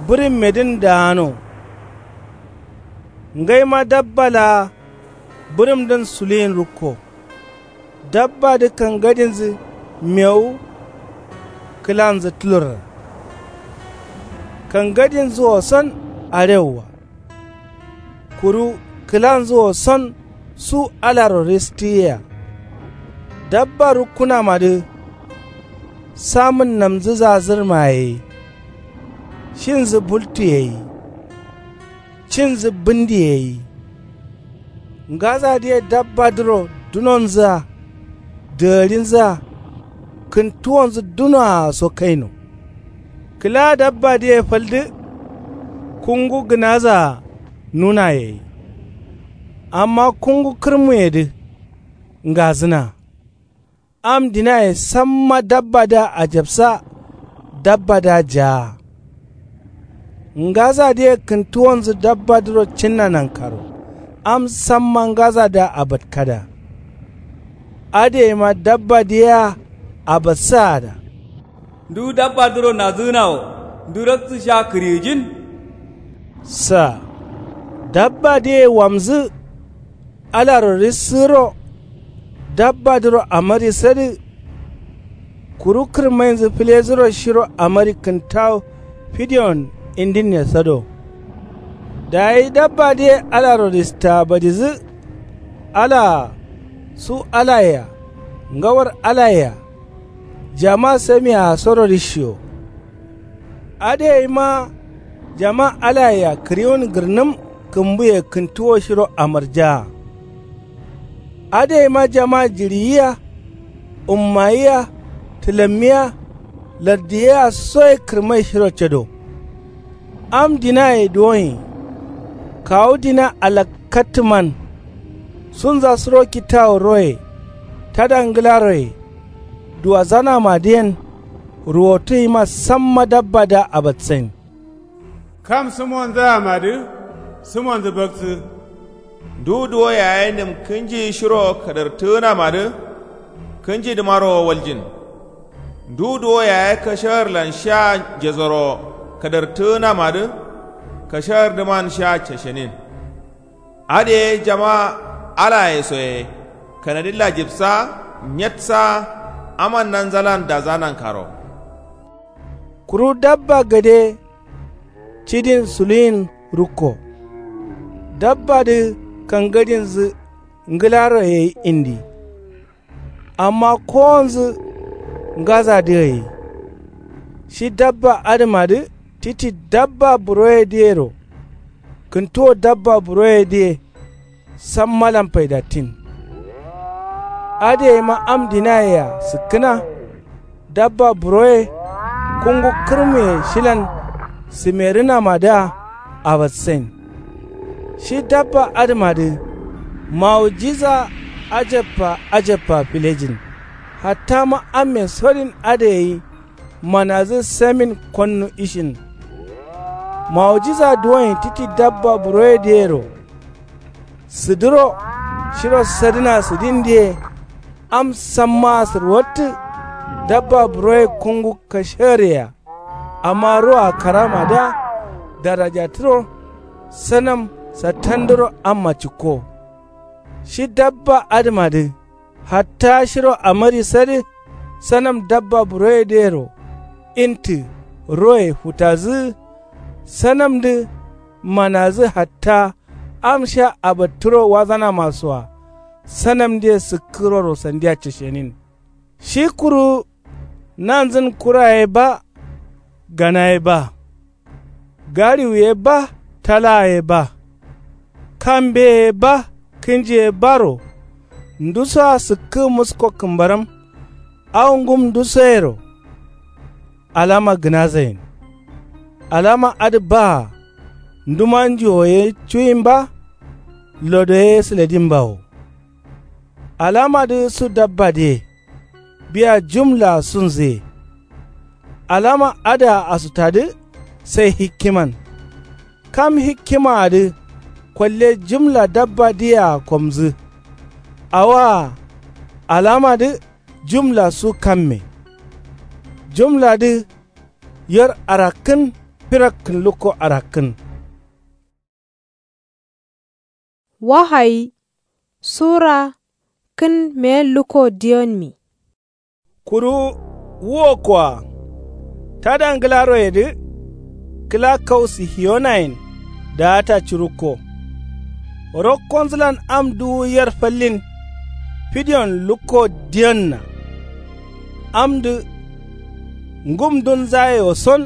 bǝrimmedǝn daano. Ngaima dabba laa bǝrǝmdǝn suluyin rukko. Dabbadǝ kangadinzǝ mewu. Kǝlanzǝ tulurra. Kangadinzǝ wo son arewu wa. Kuru kǝlanzǝ wo son su alaro ristǝyea. Dabba rukkunamadǝ samǝnnamzǝ zazǝrma yai. Shinzǝ bultu yai. Cinzǝ bǝndi yai. Ngasadǝye dabbadǝro dunonzǝa dǝgǝrinzǝa kǝntuwonzǝ dunoa so kaino. Kǝla dabbadǝye faldǝ. Kungu gǝnazaa nuna yai. Amma kungu kǝrmuyedǝ ngazǝna. Am dinaye samma dabbadǝa ajabsa. Dabbadǝa jaa. Ngasadǝye kǝntuwonzǝ dabbadǝro cinna nankaro. Am samma ngasadǝa abatkada. Adǝyeima dabbadǝ yea abatsaada. Ndu dabbadǝro nadzǝgǝnawo ndu raktǝ sha kǝriyijin. Sa dabbadǝye wamzǝ. Alaro rissǝgǝro. Dabbadǝro amarisadǝ. Kuru kǝrmainzǝ fǝlezǝro shiro amari kǝntawu fidiyon indinne sado. Dayi dabbadǝye alaro ristabadizǝ. Alaa su alayea ngawar alayea. Jama samiyea soro rishiyo. Adǝ yaima jama alayea kǝriwun gǝrnǝm kǝmbuye kǝntuwo shiro amarjaa. Adǝ yaima jama jiɍiyia. Ummayia tǝlammiyia lardiyia soye kǝrmai shiro cado. Am dinaye duwonyi. Kawu dina alakkattǝman. Sunza suro kittawu roye tada ngǝlaroye. Duwazanamadǝyen ruwotu yima samma dabbadǝa abatsain. Kam sǝmonzǝamadǝ sǝmonzǝ baktsǝ. Ndu duwo yaye nǝm kǝnji shiro kadartǝgǝnamadǝ. Kǝnjidǝmaro waljin. Ndu duwo yaye kashagǝrlan sha njesoro kadartǝgǝnamadǝ. Kashagǝrdǝman sha cashenin. Adǝ ye jama alaye soye kanadilla jibsa. Nyetsa aman nanzalan daza nankaro. Kuru dabba gade cidin suluyin rukko. Dabbadǝ kangadinzǝ ngǝlaro yai indi. Amma kowonzǝ ngasadǝ gai. Shi dabba adǝmadǝ titi dabba buroyedǝyero. Kǝntuwo dabba buroyedǝye sammalan faidattin. Adǝ yaima am dinayea sǝkkǝna. Dabba buroye kungu kǝrmuye shilan sǝmerǝnamadǝa abatsain. Shi dabba adǝmadǝ mawujiza ajabba ajabba filejin. Hatta ma amme sodin adǝ gai manadǝ samin konnu ishin. Mawujiza duwoin titi dabba buroyedǝ yero sǝdǝro shiro sadǝna sǝdindǝ ye. Am sammaa sǝrwattǝ dabba buroye kungu kashereya. Amma roa karamadǝa darajatǝro sanam sattandǝro amma cikko. Shi dabba adǝmadǝ hatta shiro amari sadǝ sanam dabba buroyedǝ yero intǝ roye futazǝ. Sanamdǝ manazǝ hatta am sha abattǝro wazanamasoa sanamdǝye sǝkkǝroro sandia cǝshenin. Shi kuru nanzǝn kura ye ba gana ye ba gariwu ye ba talaa ye ba kambe ye ba kǝnji ye baro ndusoa sǝkkǝ musko kǝmbaram. Au ngum ndusoyero alama gǝnazain. Alama adǝ baa nduma njuwo ye cuyin ba lodo ye sǝladin bawo. Alamadǝ su dabbadǝye biya jumlaa sunzǝye. Alama adǝa asutadǝ sai hikkiman. Kam hikkimaadǝ kolle jumla dabbadǝyea komzǝ. Awoa alamadǝ jumla su kamme. Jumladǝ yor arakkǝn firakkǝn lukko arakkǝn. Wahayi sura kǝn meyen lukko diyonmi. Kuru wukkoa tada ngǝlaroyedǝ kǝla kau sihiyonayen daata curukko. Rokkonzǝlan am duwu yer fallin fidiyon lukko diyonna. Amdǝ ngumdunzayewo son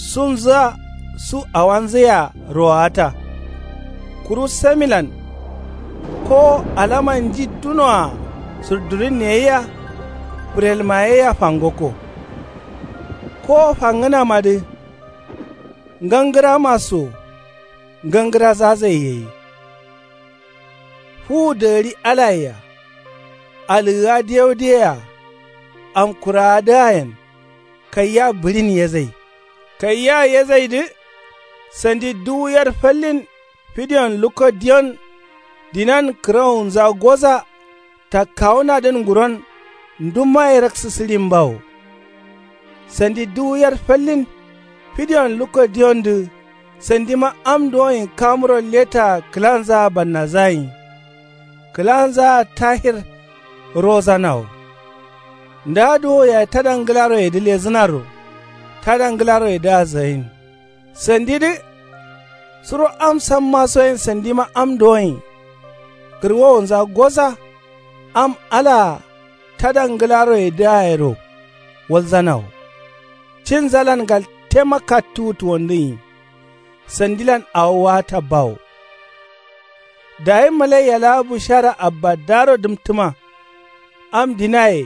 sunzǝa su awanzǝyea rowata. Kuru samilan kowo alama nji dunoa sǝrdurinne yea fǝrelma yea fangokko. Kowo fangǝnamadǝ ngangǝrama so ngangǝrazazai gai. Fuwu dagǝri alayea alǝgǝa diyaudiyeya amkuraadǝayen kaiya bǝɍin yezai. Kaiya yezaidǝ sandi duwu yer fallin fidiyon lukko diyon. Dinan kǝrawunza goza takkawunadǝn nguron ndummaye raksǝ sǝɍin bawo. Sandi duwu yer fallin fidiyon lukko diyondǝ sandima am duwoin kamuro letaa kǝlanzaa bannazayin. Kǝlanzaa tahir rozanawo. Nda duwo yayi tada ngǝlaroyedǝ lezǝnaro tada ngǝlaroyedǝa zayin. Sandidǝ suro am sammasoyen sandima am duwoin kǝrwowonza goza. Am alaa tada ngǝlaroyedǝa yero walzanawo. Cinzalan galtema kattuwu tuwondǝnyi. Sandilan awo waata bawo. Dayi malaiya laa bushara abbadaro dǝmtǝma. Am dinaye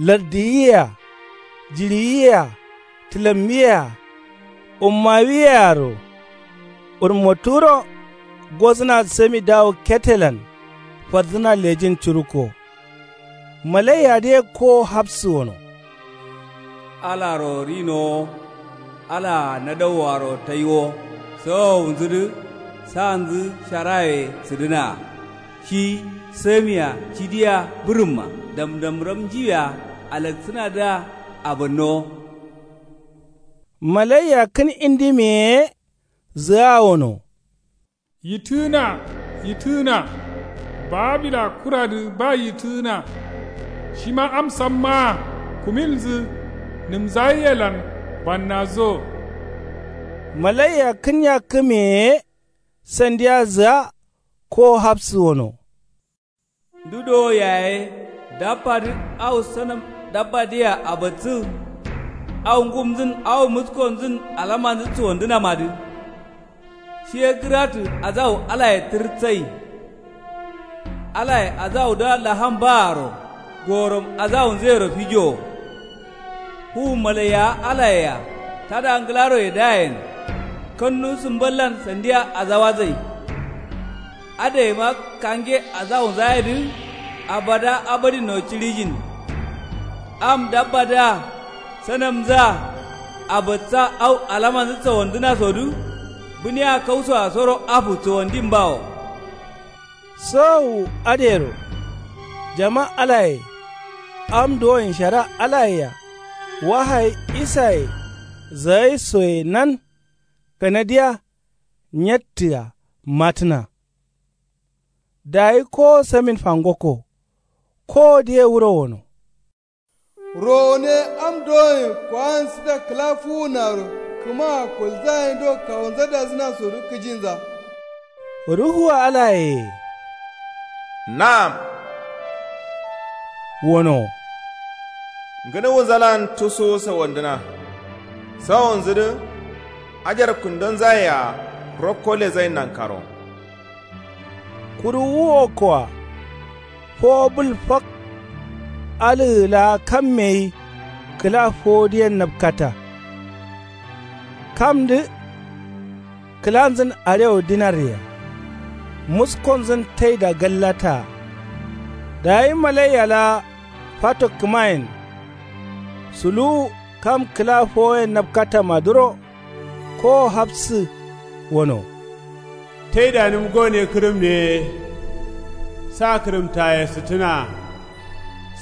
lardiyiyea jiɍiyiyea tǝlammiyea ummawiyearo urmoturo gozǝna sami dawo ketelan fardǝna lejin curukko. Malaiyadǝ ye kowo hafsǝ wono. Alaro rinowo alaa nadauwaro taiwo sawawunzudǝ sanzǝ sharaye sǝdǝnaa. Shi samia cidiya bǝrǝmma damdamram njiwia alaksǝnadǝa abannowo. Malaiya kǝn indimiye ye zǝa wono. Yitǝgǝna yitǝgǝna. Babila kuradǝ ba yitǝgǝna. Shima am sammaa kuminzǝ nǝmzayiyelan bannazo. Malaiya kǝn yakkǝmiye ye sandiya zǝa kowo hafsǝ wono. Ndu dowo yaye dabbadǝ au sanam dabbadǝyea abatsǝ. Au ngumnzǝn au muskonzǝn alamanzǝ cuwandǝnamadǝ. Shi ye gǝratǝ azawu alaye tǝrtsayi. Alaye azawudǝa laham baaro gorom azawunzǝyero fijowo. Fuwun malaiyawa alayea tada ngǝlaroyedǝayen kannu sǝmballan sandiya azawadzai. Adǝgaima kange azawunzayedǝ Abada abadin no ciɍijin. Am dabbadǝa sanamnzǝa abadsa au alamanzǝ sawandǝnasodǝ bǝniya kausoa soro afu sawandin bawo. Sawowu adǝyero jama alaye am duwoyen shara alayea wahayi isaye zagaisoye nan kanadiya nyattǝa matǝna. Dayi kowo samin fangokko kowo diye wuro wono. Rowone am dowoyen kowan sǝda kǝla fuwunaro kǝmaa kolzayen do kawonza dazǝnasodǝ kǝjinza. Ruhua alayeye na'am wono. Ngǝnuwunzalan tusu sawandǝna sawonzǝdǝ ajar kundonzayea rokko lezain nankaro. Kuru wu wokkoa fowo bǝl fak. Alǝgǝ laa kamme ye kǝla fowodǝyen napkata. Kamdǝ kǝlanzǝn arewo dinarye-a muskonzǝn taida gallataa. Dayi malaiya laa fato kǝmayen suluwu kam kǝla fowoyen napkatamadǝro kowo hafsǝ wono. Taidanǝm gone kǝrǝmne ye sa kǝrǝmtaye sǝttǝna.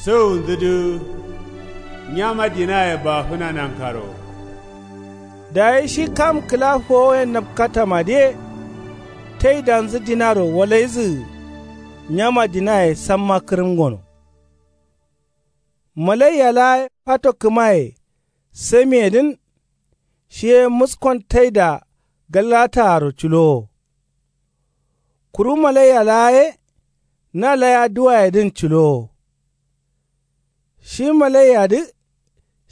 Sawunzǝdǝ nyama dinaye bafǝna nankaro. Dayi shi kam kǝla fowoyen napkatamadǝye taidanzǝ dinaro walaizǝgǝ nyama dinaye samma kǝrǝm gono. Malaiya laa fato kǝmaye samiyedǝn shi ye muskon taida gallataaro culowo. Kuru malaiya laa ye na layaduwayedǝn culowo. Shi malaiyadǝ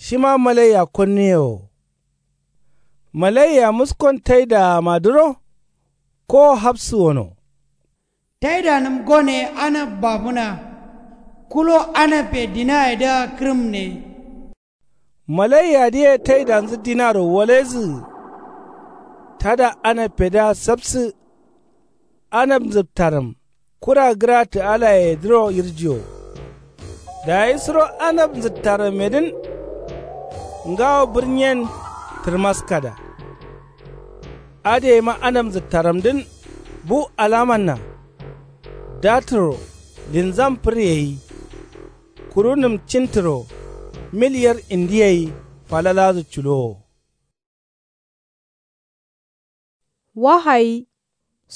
shima malaiya konnuye wo. Malaiya muskon taidaamadǝro kowo hafsǝ wono. Taidanǝm gone anab bafǝna. Kulo anabbe dinayedǝa kǝrǝmne. Malaiyadǝye taidanzǝ dinaro walaizǝgǝ tada anabbedǝa sapsǝ. Anab nzǝptarǝm kura gǝratǝ alayeyedǝro yirjiyo. Dayi suro anab nzǝttarǝmmedǝn ngawo bǝrnyen tǝrmaskada. Adǝyeima anab nzǝttarǝmdǝn bu alamanna datǝro linzam fǝrye gai. Kuru nǝm cintǝro mil yer indiye gai falaladǝ culowo. Wahayi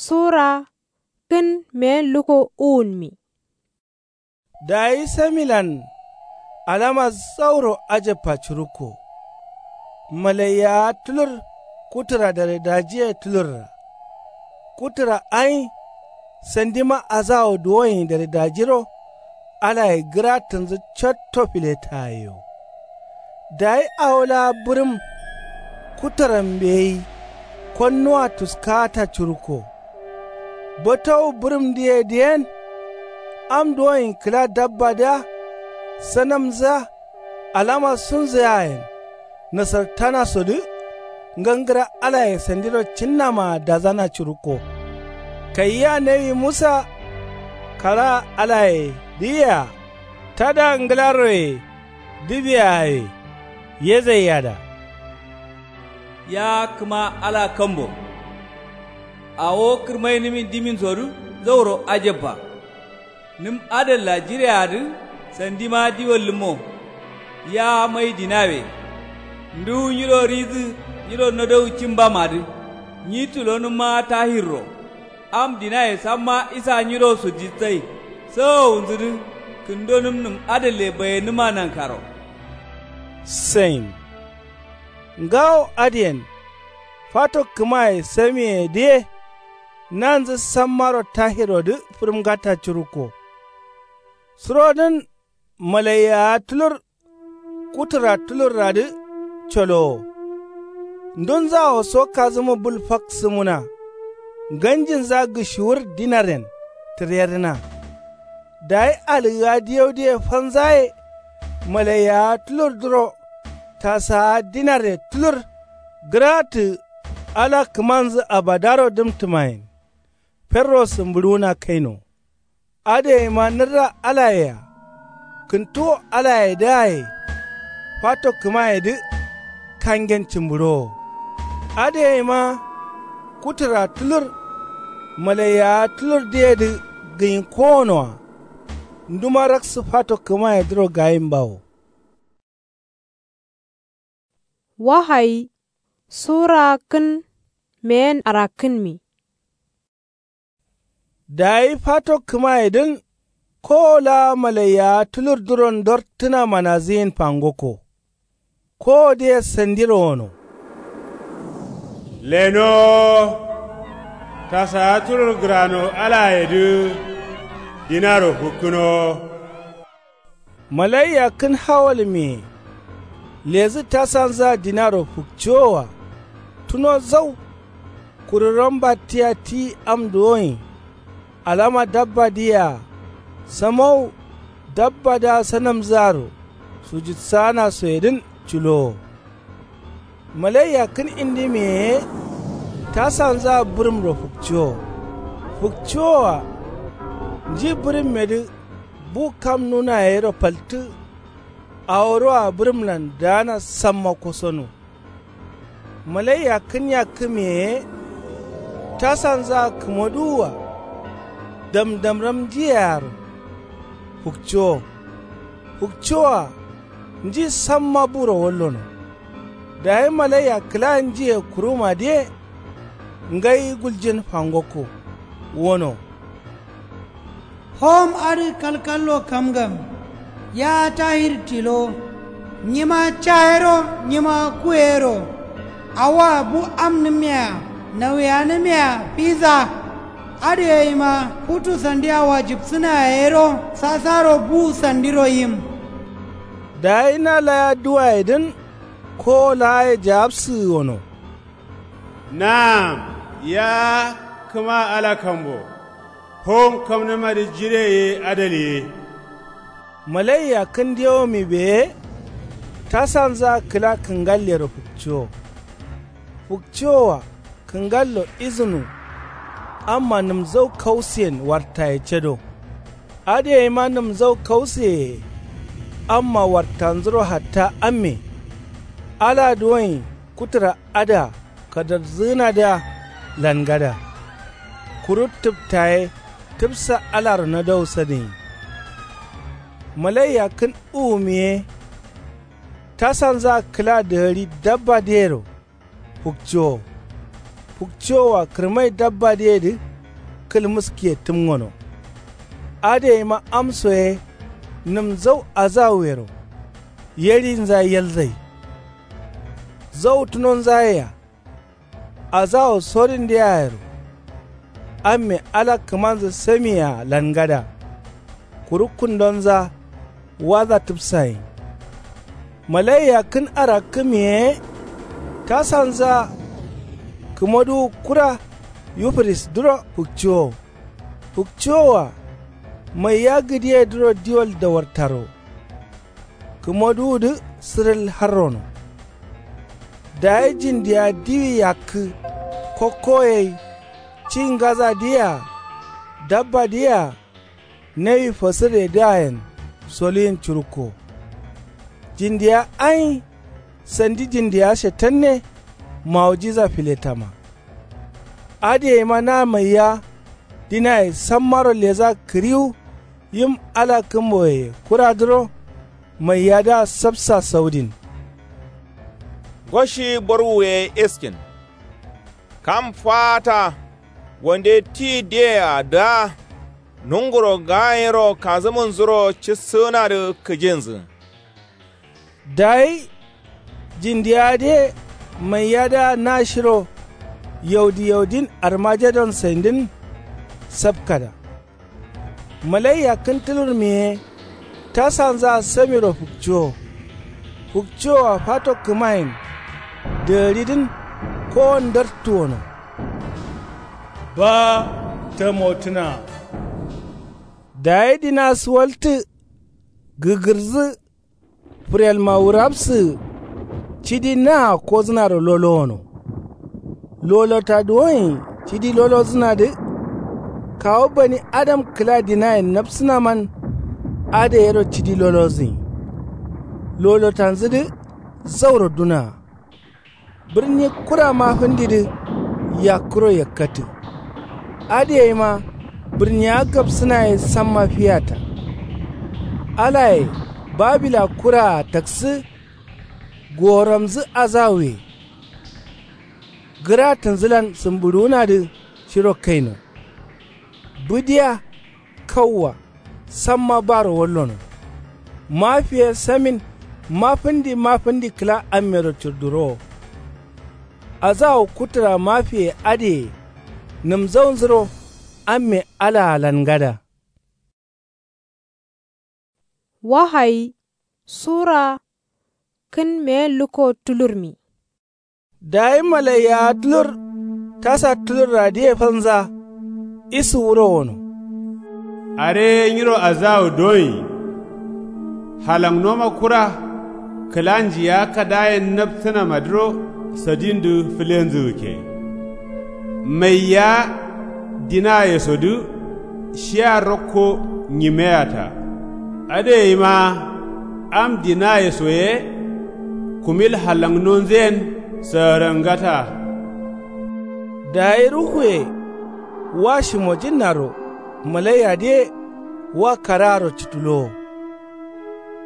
sura kǝn meyen luko uwunmi. Dayi samilan alama zauro ajabba curukko. Malaiyawa tulur kutǝra daredajiye tulurra. Kutǝra ain sandima azawo duwoyen daredajiro alaye gǝratǝnzǝ catto filetayeyo. Dayi awo laa bǝrǝm kutǝrambe gai konnuwa tuskata curukko. Botowu bǝrǝmdǝye dǝyen am duwoyen kǝla dabbadǝa sanamnzǝa alama sunzǝyayen nasartanasodǝ ngangǝra alaye sandiro cinnamaa dazana curukko. Kayia nawi musa karaa alayedǝyea tada ngǝlaroye dǝbiyaye yezaiyada. Ya kǝma ala kambo. Awo kǝrmainǝmin diminsodǝ zauro ajabba. Nǝm adalla jireadǝ sandima diwallǝmmo. Ya mai dinawe. Nduwu nyiro ridǝ nyiro nodowu cimbamadǝ nyi tulonǝmma tahirro. Am dinaye samma isa nyiro sujitsai sawowunzǝdǝ kǝndonǝm nǝm adalle bayenǝma nankaro. Sain ngawo adǝyen fato kǝmaye samiyedǝye nanzǝ sammaro tahirodǝ fǝrǝmgata curukko. Surodǝn malaiyawa tulur kutǝra tulurradǝ colowo. Ndunzawo so kazǝmu bǝl fak sǝmuna. Nganjinza gǝshiwur dinaryen tǝryerǝna. Dayi alǝgga diyaudǝye fanzaye malaiyawa tulurdǝro tasawa dinarye tulur gǝratǝ ala kǝmanzǝ abadaro dǝmtǝmayen. Ferro sǝmbǝɍuwuna kaino. Adǝ yeima nǝrra alayea. Kǝntuwo alayedǝaye. Fato kǝmayedǝ. Kangen cǝmbǝɍowo. Adǝ yeima. Kutǝra tulur. Malaiyawa tulurdǝyedǝ. Gǝnyi kowonoa. Nduma raksǝ fato kǝmayedǝro gayimbawo. Wahayi sura kǝn meyen arakkǝnmi. Dayi fato kǝmayedǝn. Kowo laa malaiyawa tulurdǝro ndorttǝna manazǝyin fangokko. Kowodǝye sandiro wono. Lenowo. Tasawa tulur gǝrano alayedǝ. Dinaro fukkǝnowo. Malaiyakkǝn hawalmiye. Lezǝ tasanzǝa dinaro fukcowoa. Tuno zau. Kuru rambattiya ti am duwonyi. Alama dabbadǝyea. Samau. Dabbadǝa sanamzǝaro. Sujudsaana soyedǝn culowo. Malaiyakkǝn indimiye ye. Tasanzǝa bǝrǝmro fukcowo. Fukcowoa. Nji bǝrǝmmedǝ. Bu kam nunayero faltǝ. Aworoa bǝrǝmlan daana samma kosono. Malaiyakkǝn yakkǝmiye ye. Tasanzǝa kǝmoduwua. Damdamram njiyearo. Fukcowo. Fukcowoa. Nji samma buro wallono. Dayi malaiya kǝla njiye kurumadǝye. Ngai guljin fangokko. Wono. Hom adǝ kalkallo kamgam. Ya tahir tilo. Nyima cayero nyima kuyero. Awoa bu amnǝmmea. Nauyanǝmmea fiza. Adǝ yeima futu sandia wajibsǝna yero sasaro bu sandiro yim. Dayi na laya duwayedǝn. Kowo laaye jawabsǝgǝ wono. Naam. Ya kǝma ala kambo. Hom kamnǝmadǝ jire ye adal ye. Malaiyakkǝn dewomibeye. Tasanzǝa kǝla kǝngallero fukcowo. Fukcowoa. Kǝngallo izǝnu. Amma nǝmzau kausiyen wartaye cado. Adǝ yeima nǝmzau kausiyeye. Amma wartanzuro hatta amme. Ala duwonyi kutǝra adǝa kadardzǝgǝnadǝa. Langada. Kuru tǝptaye tǝpsa alaro nadau sadǝnyi. Malaiyakkǝn uwumiye. Tasanzǝa kǝla dǝgari dabbadǝyero. Fukcowo. Fukcowoa kǝrmai dabbadǝyedǝ. Kǝlmǝskiye tǝmgono. Adǝ yeima amso ye. Nǝmzau azawuyero. Yerinza yalzai. Zau tunonza yea. Azawo sorindǝ yayero. Amme ala kǝmanzǝ samiyea langada. Kuru kundonza. Waza tǝpsayin. Malaiyakkǝn arakkǝmiye ye. Tasanzǝa. Kǝmoduwu kura. Yufurisdǝro fukcowo. Fukcowoa. Maiya gǝdiyedǝro diwal dawartaro. Kǝmoduwudǝ sǝrǝl harrono. Dayi jindiya diwi yakkǝ. Kokkoyai. Ci ngazadǝyea. Dabbadǝyea. Nawi fasǝrredǝayen. Soluyin curukko. Jindiya ayi. Sandi jindiya shetanne. Mawujiza filetama. Adǝ yeima na maiya. Dinaye sammaro leza kǝriwu. Yim ala kǝmboye kuradǝro. Maiyadǝa sapsa saudin. Ngoshi borwuye iskin. Kam faata. Wande ti diyea dǝa. Nunguro gayero kazǝmǝnzuro cissǝgǝnadǝ kǝjinzǝ. Dayi jindiya dǝye maiyadǝa na shiro. Yaudi yaudin armajadon saindǝn. Sapkada. Malaiya kǝn tǝlurmi ye. Tasanzǝa samiro fukcowo. Fukcowoa fato kǝmayen. Dǝgaridǝn. Kowon ndartǝ wono. Ba. Tamotǝna. Dayi dina suwaltǝ. Gǝgǝrzǝ. Fǝrelma wurabsǝ. Cidi naa kozǝnaro lolowono. Lolota duwonyi cidi lolozǝnadǝ. kawu bani adam kǝla dinayen nabsǝnaman. Adǝ yero cidi lolozǝnyi. Lolotanzǝdǝ zauro dunaa. Bǝrni kura mafǝndidǝ yakkuro yakkatǝ. Adǝ yaima bǝrniya gabsǝna ye samma fiyata. Alaye babila kuraa taksǝ. Goramzǝ azawuye. Gǝratǝnzǝlan sǝmbǝɍuwunadǝ shiro kaino. Bǝdiya kauwa samma baro wallono. Mafiye samin mafǝndi mafǝndi kǝla ammero cǝrdurowo. Azawu kutǝra mafiye adǝye. Nǝmzaunzuro amme alaa lan ngada. Wahayi sura kǝn meyen lukko tulurmi. Dayi malaiyawa tulur tasa tulurradǝye falnza. Isu wuro wono. Are nyiro azawu doyi. Halangnoma kura kǝla njiya kadayen napsǝnamadǝro sadindǝ fǝlenzǝgǝkke. Maiya dinayesodǝ shiya rokko nyimeyata. Adǝ yaima am dinayeso ye kumil halangnonzǝyen sǝgǝrangata. Dayi ruhuye wa shimojinnaro malaiyadǝye wa karaaro cǝtulowo.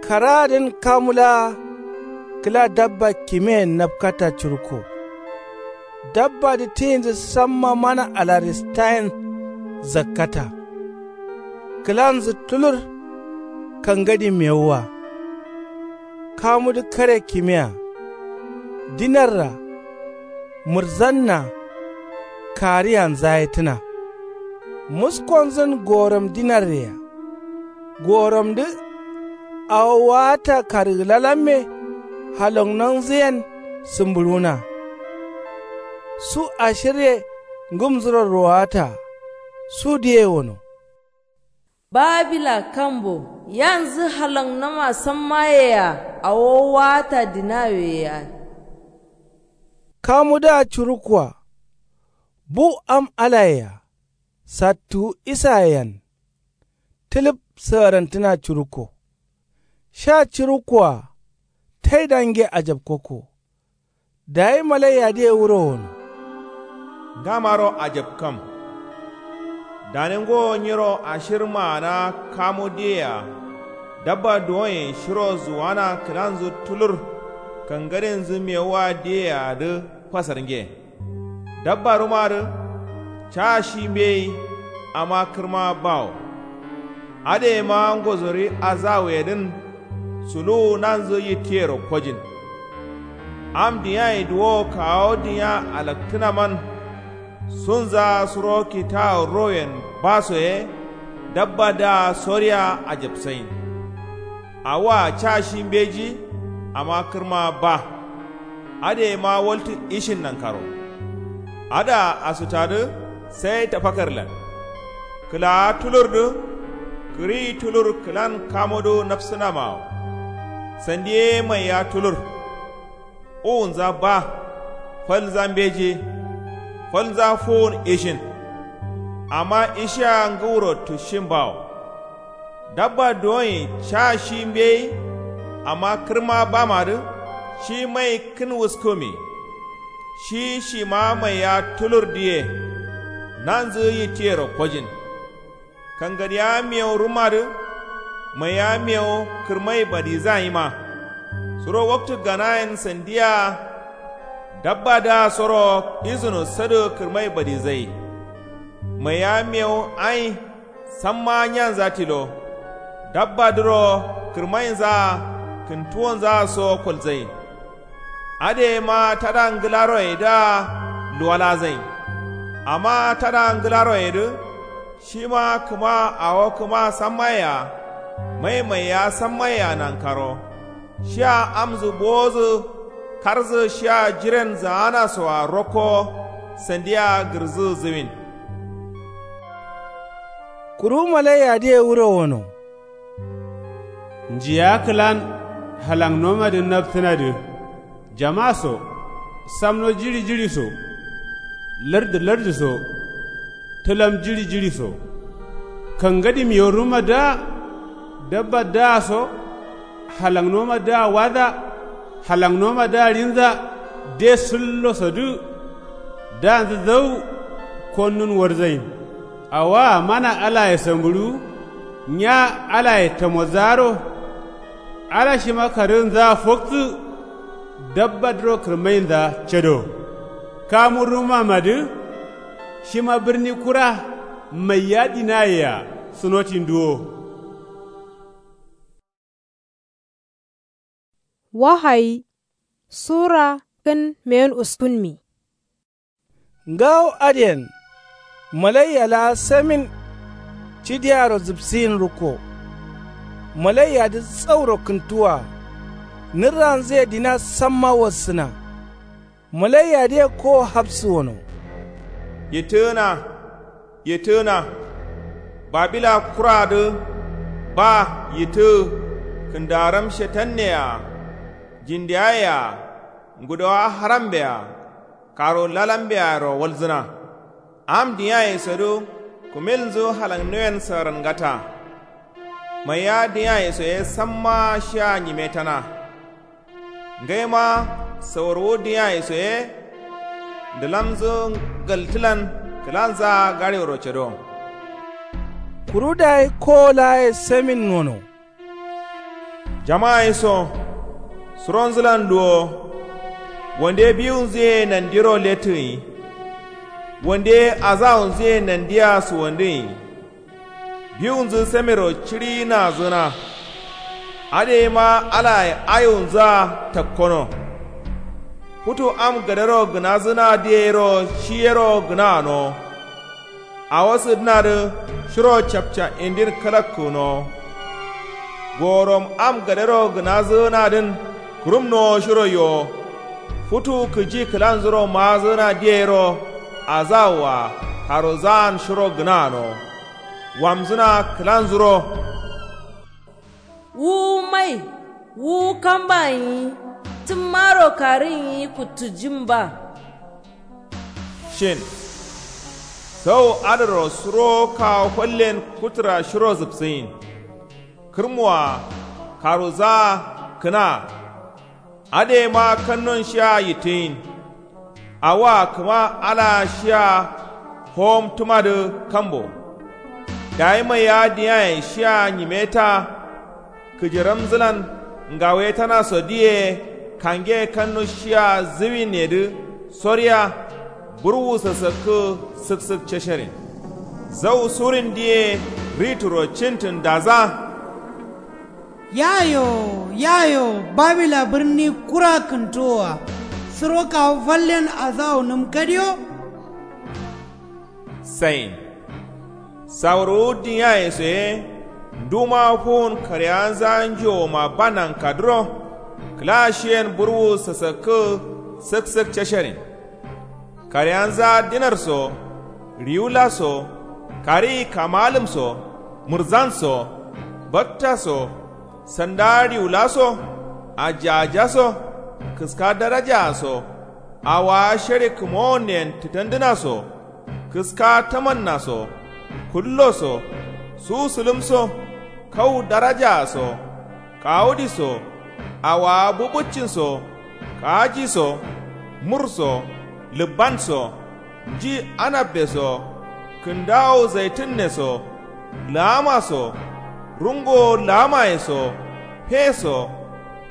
Karaadǝn kamu laa kǝla dabba kimeyen napkata curukko. Dabbadǝ tiyinzǝ samma mana alaristayen zakkata. Kǝlanzǝ tulur kangadi mewuwa. Kamudǝ kare kimea. Dinarra mǝrzanna. Kariyanza ye tǝna. Muskonzǝn gorom dinarreya. Goramdǝ awo waata karǝgǝlalamme. Halongnonzǝyen sǝmbǝɍuna. Su ashirye ngǝmzuro rowaata. Sudǝye wono. Babila kambo yanzǝ halangnoma sammayea. Awo waata dinaweyea. Kamudǝa curukkoa. Bu am alayea. Sattuwu isayeyen. Tǝlǝp sǝgǝrantǝna curukko. Sha curukkoa. Taidange ajapkokko. Dayi malaiyadǝye wuro wono. Ngamaro ajapkam. Dane ngowo nyiro ashir maana kamu diyea. Dabba duwonye shiro zuwana kǝlanzǝ tulur. Kangadinzǝ mewuwa diyeyeadǝ fasarnge. Dabbarǝmadǝ ca shi mbeyi. Amma kǝrma bawo. Adǝ yaima ngozori azawuyedǝn. Suluwu nanzǝ yittiyero kojin. Am diyayi duwowo kawo diya alaktǝnaman. Sunza suro kitawu royen baso ye. Dabbadǝa soriya ajapsain. Awoa ca shi mbeji. Amma kǝrma ba. Adǝ yaima waltǝ ishin nankaro. Adǝa asutadǝ sai tafakarlan. Kǝlaa tulurdǝ. Kǝriyi tulur kǝlan kamudǝ nafsǝnamawo. Sandi ye maiya tulur. Uwunza ba. Falnza mbeji. Falnza fuwun ishin. Amma ishiya ngǝwuro tusshin bawo. Dabba duwonyi ca shi mbeyi. Amma kǝrma bamadǝ shi mai kǝn wuskǝmi. Shi shima maiya tulurdǝye. Nanzǝ yittiyero kojin. Kangadiya mewu rǝmadǝ. Maiya mewu kǝrmai badizayima. Suro waktǝ ganayen sandiya. Dabbadǝa soro izǝno sadǝ kǝrmai badizai. Maiya mewu ai. Samma nyanza tilo. Dabbadǝro kǝrmainzaa kǝntuwonzaa so kolzai. Adǝ yaima tada ngǝlaroyedǝa luwalazain. Amma tada ngǝlaroyedǝ. Shima kǝma awo kǝma sammaye-a. Mai maiya sammaye-a nankaro. Shiya amzǝ bowozǝ. Karzǝ shiya jiren zaanaso-a rokko. Sandiya gǝrzǝ zǝwin. Kuru malaiyadǝye wuro wono. Njiya kǝlan halangnomadǝ naptǝnadǝ. Jama so. Samno jiɍi jiɍi so. Lardǝ lardǝ so. Tǝlam jiɍi jiɍi so. Kangadim yoruma dǝa. Dabba dǝa so. Halaknoma dǝa wadǝa. Halaknoma dǝa ɍinza. De sǝllo sodǝ. Dǝanzǝ zau. Konnun warzain. Awoa mana alaye sambǝɍu. Nya alaye tamozaaro. Ala shima karǝgǝnzaa foktǝ. Dabba dǝro kǝrmainzaa cado. Kamu rumamadǝ. Shima bǝrni kura. Maiya dinayea. Sunotin duwo. Wahayi sura kǝn meyen uskunmi. Ngawo adǝyen. Malaiya laa samin. Cidiaro zǝpsiyin rukko. Malaiyadǝ zauro kǝntuwa. Nǝrranzǝye dina samma wassǝna. Malaiyadǝye kowo hafsǝ wono. Yittǝgǝna. Yittǝgǝna. Babila kuradǝ. Ba yittǝgǝ. Kǝndaaram shetanneyea. Jindeayea. Ngudowa harambea. Karo lalambearo walzǝna. Am diyaye sodǝ. Kumilnzǝ halaknuyen sǝrangata. Maiya diyaye soye samma shiya nyimetana. Ngaima sawarwu diyaye soye. Ndǝlamnzǝ galtǝlan. Kǝlanzaa gaɍeoro cado. Kuru dayi kowo laaye samin nono. Jama'a ye so. Suronzǝlan luwo. Wande biwunzǝ ye nandiro lettǝgǝnyi. Wande azawunzǝ ye nandia suwandǝgǝnyi. Biwunzǝ samiro ciɍiyinnazǝgǝna. Adǝ yema alaye ayiwunzǝa takkono. Futu am gadero gǝnazǝnadǝ yero shi yero gǝnanowo. Awo sǝdǝnadǝ shiro capca indin kalakkǝgǝnowo. Gorom am gadero gǝnazǝgǝnadǝn kǝrumnowo shiro yowo. Futu kǝji kǝlanzuro maazǝgǝnadǝ yero. Azawoa karozaan shiro gǝnanowo. Wamzǝna kǝlanzuro. Wu mai, wu kamba nyi. Tǝmmaro karǝ nyi kuttǝjin ba. Shin. Sau adǝro suro kawo fallen kuttǝra shiro zǝpsǝgin. Kǝrmoa. Karozaa. Kǝna. Adǝ yema kannon shiya yittǝgin. Awoa kǝma alaa shiya. Howomtǝmadǝ kambo. Dayi maiya diyaye shiya nyimeta. Kǝjiramzǝlan. Ngawetana sodǝ ye. Kange kannu shiya zǝwinnedǝ. Soriya. Burwu sasakkǝ. Sǝksǝk cesherin. Zau surindǝ ye. Rituro cintǝn daza. Yayo, yayo, babila bǝrni kura kǝntuwoa. Suro kawo fallen azawo nǝm kadiyo. Sain. Sawurwu diyaye soye. Nduma fuwun kareyanza njowoma ba nankadǝro. Kǝla shiyen burwu sasakkǝ. Sǝksǝk cesherin. Kareyanza dinar so. Riwula so. Kariyi kamalǝm so. Mǝrzan so. Batta so. Sanda riwula so. Ajaja so. Kǝska darajaa so. Awowa shari kǝmowonneyen tǝtandǝna so. Kǝska tamanna so. Kullo so. Su sǝlǝm so. Kau darajaa so. Kawudi so. Awowa bubuccin so. Kaaji so. Mur so. Lǝbban so. Nji anabbe so. Kǝndawo zaitǝnne so. Laama so. Rungowo laamaye so. Fe so.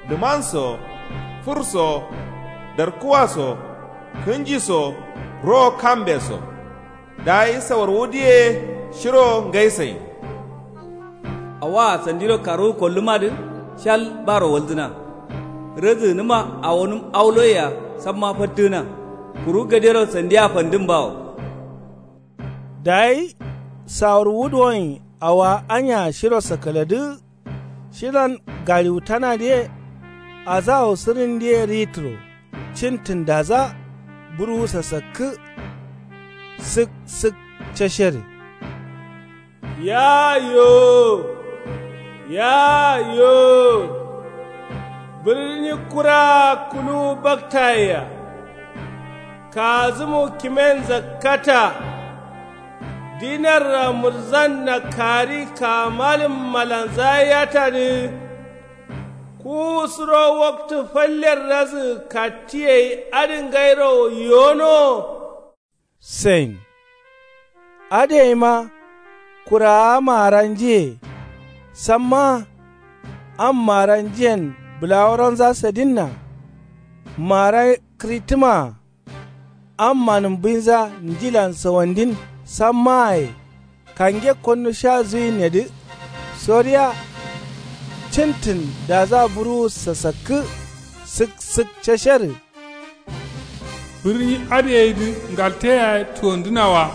Lǝman so. Fur so. Darkuwa so. Kǝnji so. Ro kambe so. Dayi sawarwudǝ ye. Shiro ngai sain. Awoa sandiro karwu kollǝmadǝ. Shal baro walzǝna. Rǝzǝgǝnǝma awonǝm auloyea. Samma fattǝgǝna. Kuru gadero sandiya fandǝm bawo. Dayi sawurwudǝ wonyi awoa anya shiro sakaladǝ. Shilan gariwutanadǝ ye. Azawo sǝrindǝ ye ritǝro. Cintǝn daza. Burwu sasakkǝ. Sǝk sǝk ceshere. Yayo. Yayo. Bǝrni kura kuluwu baktayea. Kazǝmu kimen zakkata. Dinarra mǝrzan nakkari kamalǝm malanza yatadǝ. Kuwu suro waktu fallerrazǝ kattiye adǝ ngairo yono. Sain. Adǝ yaima kuraa maara njiye. Sammaa am maara njiyen bǝlaworonza sadinna. Maara kǝrittǝmaa. Am manǝmbinza njilan sawandin sammaaye. Kange konnu sha zuyinnedǝ. Soriya. Cǝntǝn daza buruwu sasakkǝ. Sǝk sǝk casharǝ. Bǝrni adǝ yedǝ ngalteyaye tuwondǝna wa.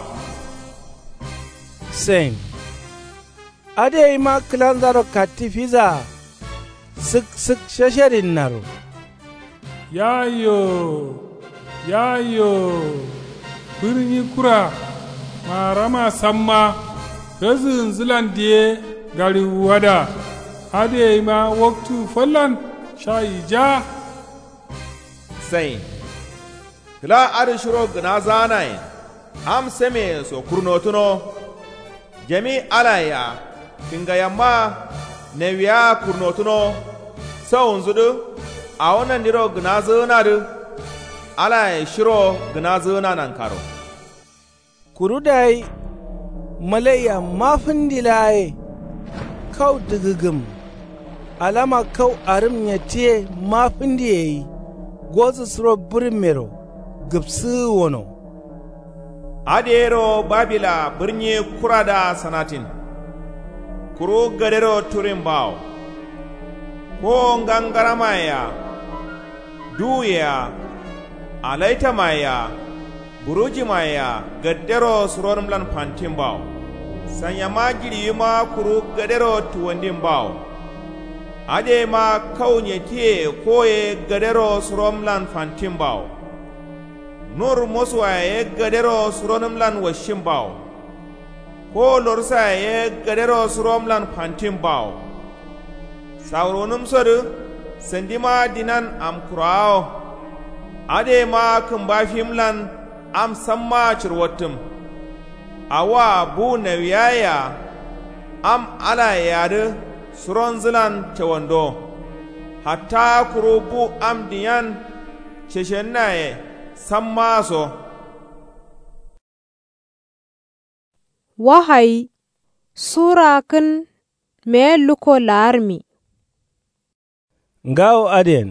Sain. Adǝ yaima kǝlanzaro katti fizaa. Sǝk sǝk shasharinnaro. Yayo. Yayo. Bǝrni kura. Maarama samma. Razǝgǝnzǝlan diye. Ngariwuwada. Adǝ yaima waktu fallan. Sha yija. Sain. Kǝla adǝ shiro gǝnazǝganayen. Am sameye so kurnotǝno. Jami alaye-a kǝngayamma. Nawiya-a kurnotǝno. Sawunzudǝ. Awo nandiro gǝnazǝgǝnadǝ. Alaye shiro gǝnazǝgǝna nankaro. Kuru dayi malaiya mafǝndi laa ye. Kau dǝgǝgǝm. Alama kau arǝm nyattǝ ye mafǝndi yayi. Gozǝ suro bǝrǝmmero gǝpsǝgǝ wono. Adǝ yero babila bǝrni kuradǝa sanatin. Kuru gadero turin bawo. Kowo ngangaramaye-a. Duwuye-a. Alaitamaye-a. Burujimaye-a gaddero suronǝmlan fantin bawo. Sanyama jiɍiwima kuru gadero tuwandin bawo. Adǝ yaima kau nyattǝye koye gadero suronǝmlan fantin bawo. Nur mosuwaye ye gadero suronǝmlan washin bawo. Kowo lorsaye ye gadero suronǝmlan fantin bawo. Sawurunǝmsodǝ sandima dinan amkurawo. Adǝ yaima kǝmbafimlan am sammaa cǝrwattǝm. Awoa bu nawiyaye-a. Am alaye-adǝ suronzǝlan cawando. Hatta kuru bu am diyan ceshennaye sammaa so. Wahayi sura kǝn meye lukko laarmi. Ngawo adǝyen.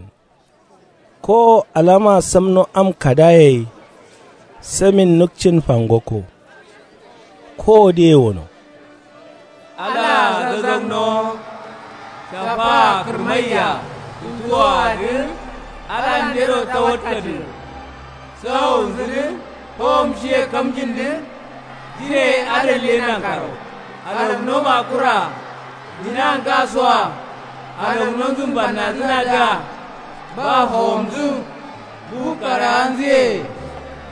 Kowo alama samno am kadaye ye. Samin nukcin fangokko. Kowo diye wono. Alaa zazagnowo. Shafaa kǝrmaiya. Tutuwoadǝ. Alandero tawattadǝ. Sawonzǝdǝ. Howom shiye kamjindǝ. Jineye adallenankaro. Alagno makura. Dina ngasoa. Alagnonzǝ mbannadǝnadǝa. Ba howomzǝ. Bu karaanzǝye.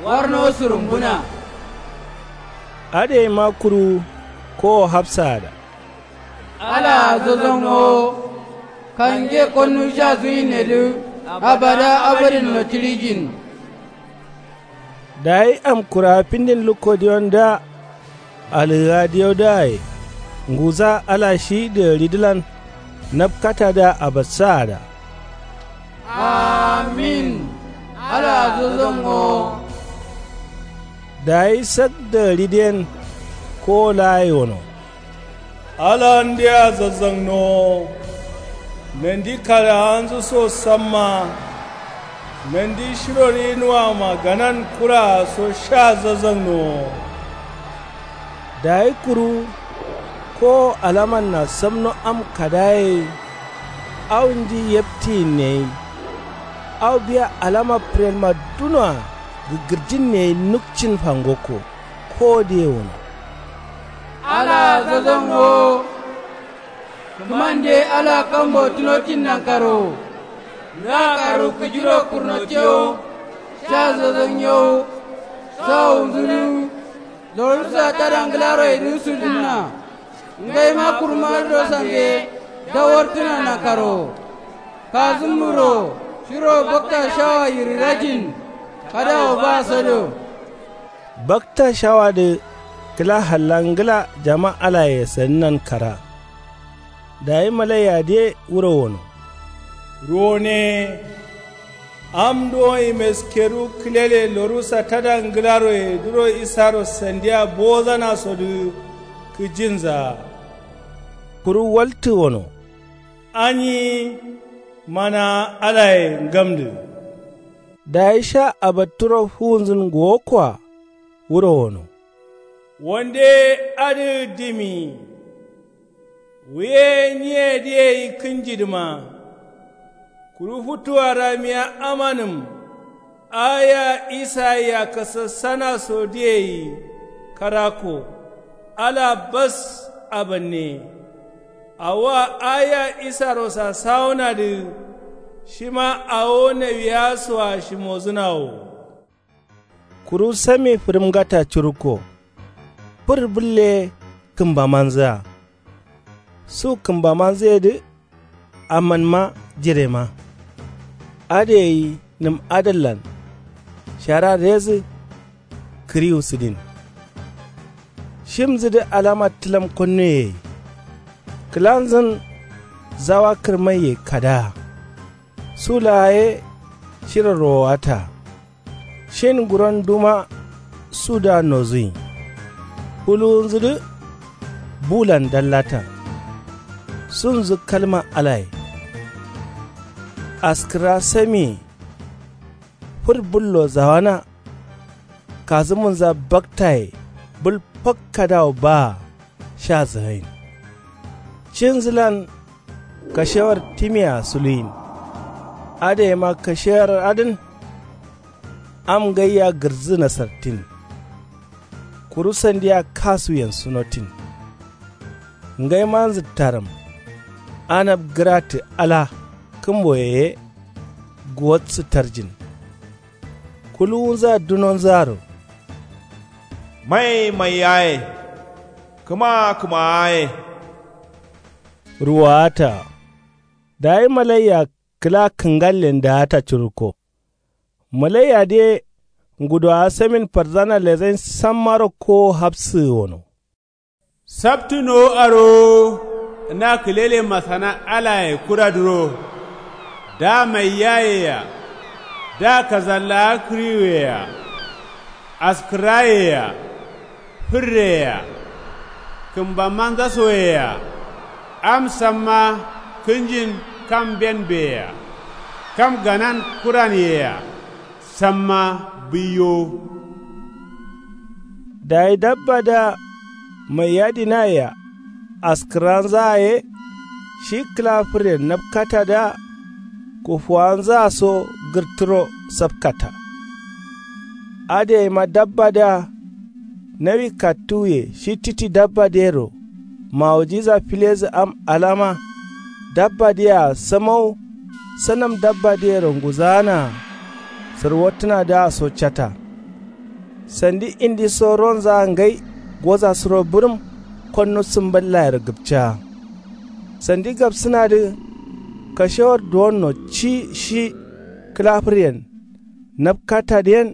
Warno sǝrumbuna. Adǝ yaima kuru kowo hafsaada. Alaa zazagnowo. Kange konnu sha zuyinnedǝ. Abada abadin notirijin. Dayi amkura findin lukko diyondǝa. Alǝgǝga diyodǝaye. Nguza ala shi dǝgǝridǝlan. Nabkatadǝa abassaada. Amin. Alaa zazagnowo. Dayi sak dǝgǝridǝyen. Kowo laa yewono. Alandea zazagnowo. Nandi karaanzǝ so samma. Nandi shiro rinuwama ganan kuraa so sha zazagnowo. Dayi kuru kowo alamanna samno am kadaye. Au nji yeptiyinne ye. Au biya alama pǝrenma dunoa gǝgǝrjinne ye nukcin fangokko. Kowo diye wono. Alaa zazagnowo. Kǝmande ala kambo tunotin nankaro. Nga karu kǝjiro kurnotiyo. Sha zazagnowo. Sawonzǝdǝ. Lorǝsa tada ngǝlaro yedǝ sudǝnna. Ngaima kurmadǝ do sande. Dawartǝna nankaro. Kazǝmmuro. Shiro bakta shawa yirǝrajin. Kadawo ba sodo. Bakta shawadǝ. Kǝla halla ngǝla jama alaye sadǝnan kara. Dayi malaiya dǝye wuro wono. Ruwone. Am duwonyi meskeru kǝlele lorusa tada ngǝlaroye duro isaro sandiya bowozanasodǝ kǝjinzaa. Kuru waltǝ wono. Anyi. Mana alaye ngamdǝ. Dayi sha abatturo fuwunzǝn ngowokkoa wuro wono. Wande adǝ dimi. Wuye nyiyedǝ yeyi kǝnjidǝma. Kuru futuwa ramiya amanǝm. Aya isaiya kasassana sodǝyeyi. Karakko. Ala bas. Abanne. Awoa aya isaro sasawunadǝ. Shima awo nawiya soa shimozǝnawo. Kuru sami fǝrǝmgata curukko. Fǝr bǝlle kǝmbamanzǝa. Su kǝmbamanzǝyedǝ. Amanma jirema. Adǝ gai nǝm adǝllan. Shara rezǝ. Kǝriwu sǝdin. Shimzǝdǝ alama tǝlam konnuye gai. Kǝlanzǝn. Zawa kǝrmaiye kadaa. Su laa ye. Shiro rowowata. Shin nguron duma. Sudǝa nozuyin. Fuluwunzǝdǝ. Bulan dallata. Sunzǝ kalma alaye. Askǝrra samiye. Fǝr bǝllo zawana. Kazǝmunza baktaye. Bǝl fak kadawo baa. Sha zǝgain. Cinzǝlan. Kashewar timiyea suluyin. Adǝ gaima kashewar adǝn. Am ngaiya gǝrdzǝ nasartin. Kuru sandiya kasuyen sunotin. Ngaimanzǝ tarǝm. Anab gǝratǝ ala. Kǝmboye ye. Guwatsǝ tarjin. Kuluwunza dunonzaaro. Mai mai yaye. Kǝma kǝma yaye. Ruwowata. Dayi malaiya kǝla kǝngallen daata curukko. Malaiyadǝye. Ngudowa samin fardzana lezain sammaro kowo hafsǝgǝ wono. Saptǝnowo arowo. Na kǝlele masana alaye kuradǝro. Da maiyayea. Da kazallawa kǝriwuyea. Askǝrayea. Fǝrreyea. Kǝmbamanzasoyea. Am samma. Kǝnjin kam mbenbeyea. Kam ganan kuranyeyea. Samma. Bǝiyowo. Dayi dabbadǝa. Maiyadǝnayea. Askǝranzaa ye. Shi kǝla fǝrren napkatadǝa. Kufuwanzaa so gǝrtǝro sapkata. Adǝ gaima dabbadǝa. Nawi kattuwuye shi titi dabbadǝyero. Mawujiza filezǝ am alama. Dabbadǝyea samawu. Sanam dabbadǝyero nguzaanaa. Sǝrwottǝnadǝa so cata. Sandi indiso ronzaa ngai. Gozasuro bǝrǝm. Konnu sǝmballayero gǝpcaa. Sandi gapsǝnadǝ. Kashewar duwonno ci shi. Kǝla fǝryen. Napkatadǝyen.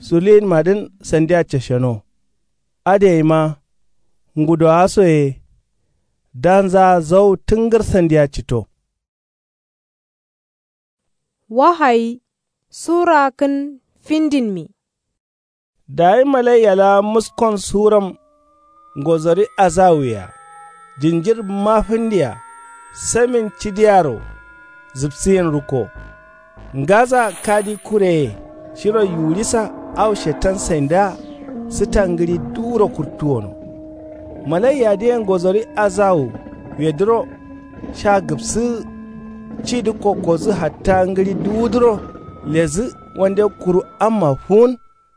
Suluyinmadǝn sandia casheno. Adǝ gaima. Ngudowaso ye. Danzaa zau tǝngǝr sandia cito. Wahayi. Sura kǝn findinmi. Dayi malaiya laa muskon suram. Ngozori azawuye-a jinjir mafǝndiya. Samin cidiyaro. Zǝpsǝyin rukko. Ngaza kadi kureye. Shiro yuwurisa. Au shetan saindǝa. Sǝta ngǝɍi duwuro kurtuwono. Malaiyadǝye ngozori azawu. Wedǝro. Sha gǝpsǝgǝ. Cidǝ kokkodǝ hatta ngǝɍi duwudǝro. Ledǝ. Wande kuru amma fuwun.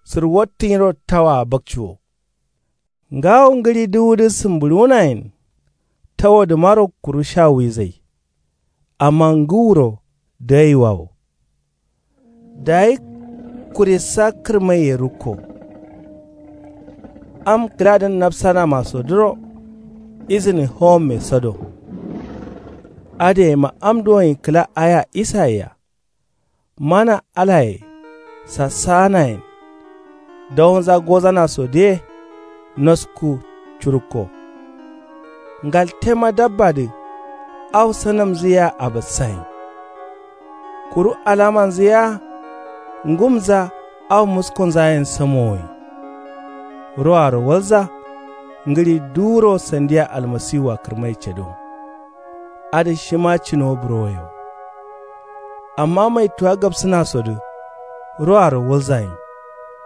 Sǝrwottǝ nyiro tawaa bakciwo. Ngawo ngǝɍi duwudǝ sǝmbǝɍuwunayen. Tawodǝmaro kuru sha wizai. Amma ngǝwuro dǝgaiwawo. Dayi. Kurissa kǝrmaiye rukko. Am kǝladǝn nafsanamasodǝro. Izǝni howomme sado. Adǝ gaima am duwonyi kǝla aya isaiya. Mana alaye. Sassaanayen. Dawonza gozanasodǝye. Nosku curukko. Ngaltema dabbadǝ. Au sanamnzǝ yea abassayin. Kuru alamanzǝ yea ngumnza au muskonzayen samowoyin. Roaro walza ngǝɍi duwuro sandiya almasiwua kǝrmai cado. Adǝ shima cinowo burowoye wo. Amma maituwa gabsǝnasodǝ roaro walzayin.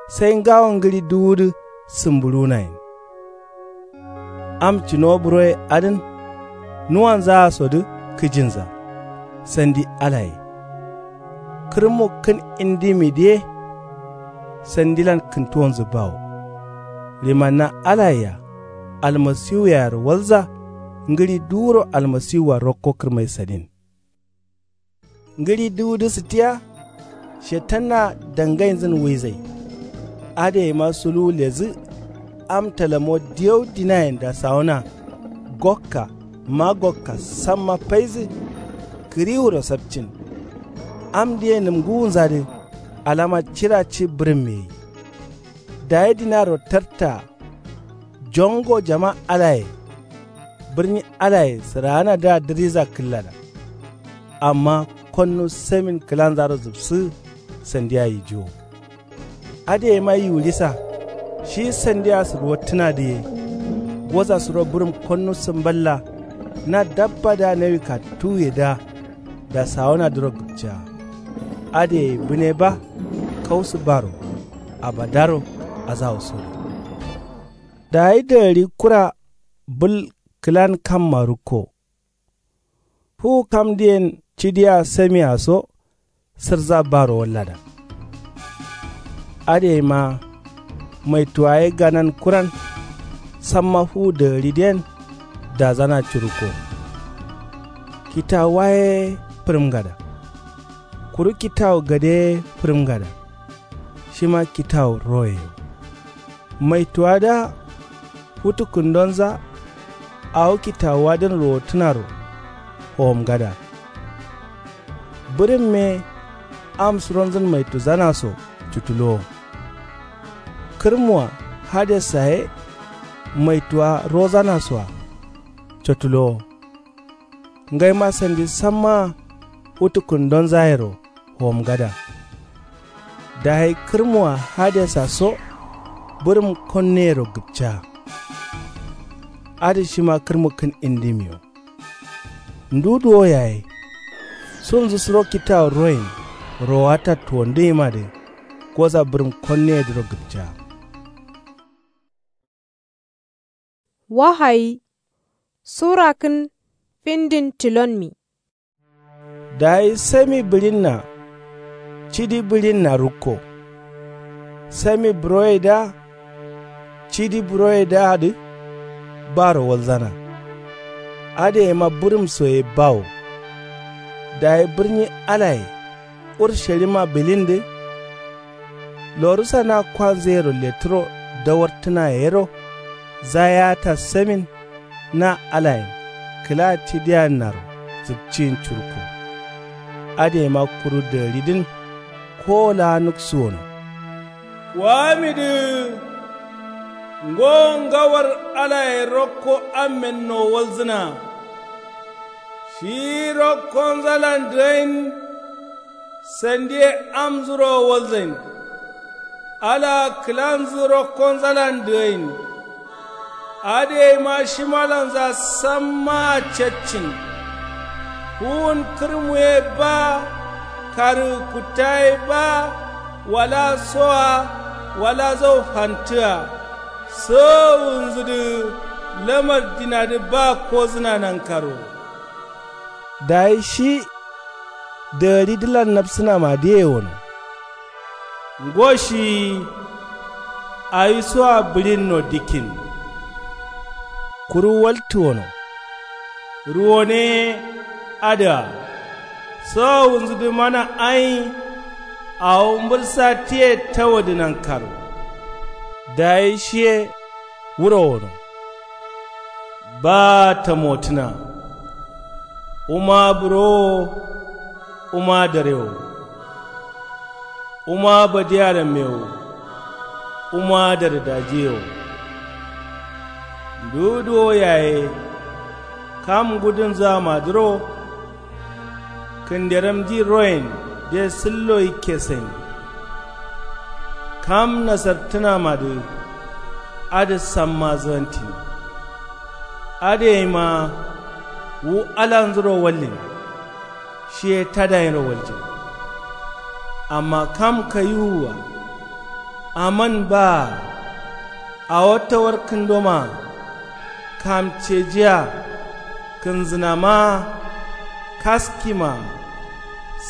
Sai ngawo ngǝɍi duwudǝ sǝmbuɍunayin. Am cinowo buroye adǝn nuwanzaasodǝ kǝjinza. Sandi alaye kǝrǝmu kǝn indimidǝ ye. Sandilan kǝntuwonzǝ bawo. Ɍimanna alayea almasiwuyearo walza ngǝɍi duwuro almasiwua rokko kǝrmai sadin. Ngǝɍi duwudǝ sǝttiya. Shetanna dangainzǝn wuizai. Adǝ yaima suluwu ledǝ. Am talamo diyau dinayen dasawuna gokka magokka samma faidǝ. Kǝriwuro sapcin. Amdǝ ye nǝmgǝwunzadǝ alama cira ci bǝrǝmme gai. Dayi dinaro tartaa. Jongo jama alaye bǝrni alaye sǝraanadǝa dǝriza kǝllada. Amma konnu samin kǝlanzaro zǝbsǝ. Sandiya yijiwo. Adǝ yaima yiwuɍisa shi sandiya sǝrwottǝnadǝ ye. Goza suro bǝrǝm konnu sǝmballa. Na dabbadǝa nawi kattuwuyedǝa dasawunadǝro gǝpcea. Adǝ yayi bǝne ba kausǝ baro abadaro azawo sodu. Dayi dagǝɍi kura bǝl kǝlan kamma rukko. Fuwu kamdǝyen cidiya samia so sǝrza baro wallada. Adǝ yaima maituwa ye ganan kuran. Samma fuwu dagǝɍidǝyen dazana curukko. Kitawuwa ye fǝrǝmgada. Kuru kitawu gade ye fǝrǝmgada. Shima kitawu roye yo. Maituwadǝa futu kǝndonza. Awo kitawuwadǝn rowottǝnaro howomgada. Bǝrǝmme am suronzǝn maituzana so cutulowo. Kǝrmua hadessa ye maituwa rozana soa cotulowo. Ngaima sandi sammaa futu kǝndonzayero howomgada. Dayi kǝrmua hadessa so bǝrǝm konneyero gǝpca. Adǝ shima kǝrmu kǝn indimiyo. Ndu duwo yaye. Sunzǝ suro kitawu royin rowatta tuwondǝyimadǝ. Goza bǝrǝm konneyedǝro gǝpca. Wahayi sura kǝn findin tilonmi. Dayi sami bǝɍinna cidi bǝɍinna rukko. Sami buroyedǝa cidi buroyedǝadǝ baro walzana. Adǝ yaima bǝrǝm soye bawo. Dayi bǝrni alaye urshalima bǝɍindǝ. Lorusa na kwanzǝyero lettǝro dawartǝnaye yero. Zayaata samin na alayen kǝla cidiya naro zǝpciyin curukko. Adǝ yaima kuru dagǝɍidǝn kowo laa nuksuwono. Waamidǝ ngo ngawar alaye rokko ammenno walzǝna. Shi rokkonzalan dǝgain. Sandiye amnzuro walzain. Alaa kǝlanzǝ rokkonzalan dǝgain. Adǝ yaima shimalanza sammaa caccin. Fuwun kǝrmu ye ba. Karǝgǝ kutta ye ba. Wala soa wala zau fantǝa. Sowowunzǝdǝ lamar dinadǝ ba kozǝna nankaro. Dayi shi dagǝɍidǝlan napsǝnamadǝye wono. Ngo shi awisoa bǝɍinno dikkin. Kuru waltǝ wono. Ruwone adǝa sowowunzǝdǝ mana ain. Awo mbǝlsa tiye tawadǝ nankaro. Dayi shiye wuro wono. Ba tamotǝna. Wuma bǝrowo. Wuma darewo. Wuma badiyaramme wo. Wuma dare dajiye wo. Nduwu duwo yaye. Kam ngudunzǝamadǝro kǝnderamji royen de sǝllo yikke sain. Kam nasartǝnamadǝ adǝ samma zǝrantin. Adǝ yeima wu alanzuro wallin. Shiye tadayinro waljin. Amma kam kayiwua aman baa awo tawar kǝndomaa kamcejia kǝnzǝnamaa kaskimaa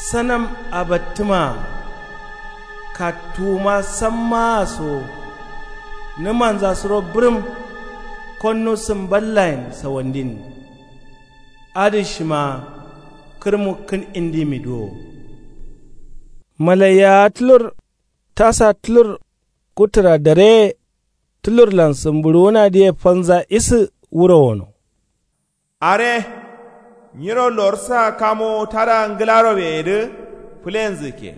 sanam abattǝmaa kattuwuma sammaa so nǝmanza suro bǝrǝm konnu sǝmballayen sawandin. Adǝ shima kǝrmu kǝn indimidǝ wo. Malaiyawa tǝlur tasa tǝlur kutǝra dareye tǝlurlan sǝmbǝɍuwunadǝye falnza isǝ wuro wono. Are nyiro lorsa kamo tada ngǝlaroweyedǝ fǝlenzǝkke.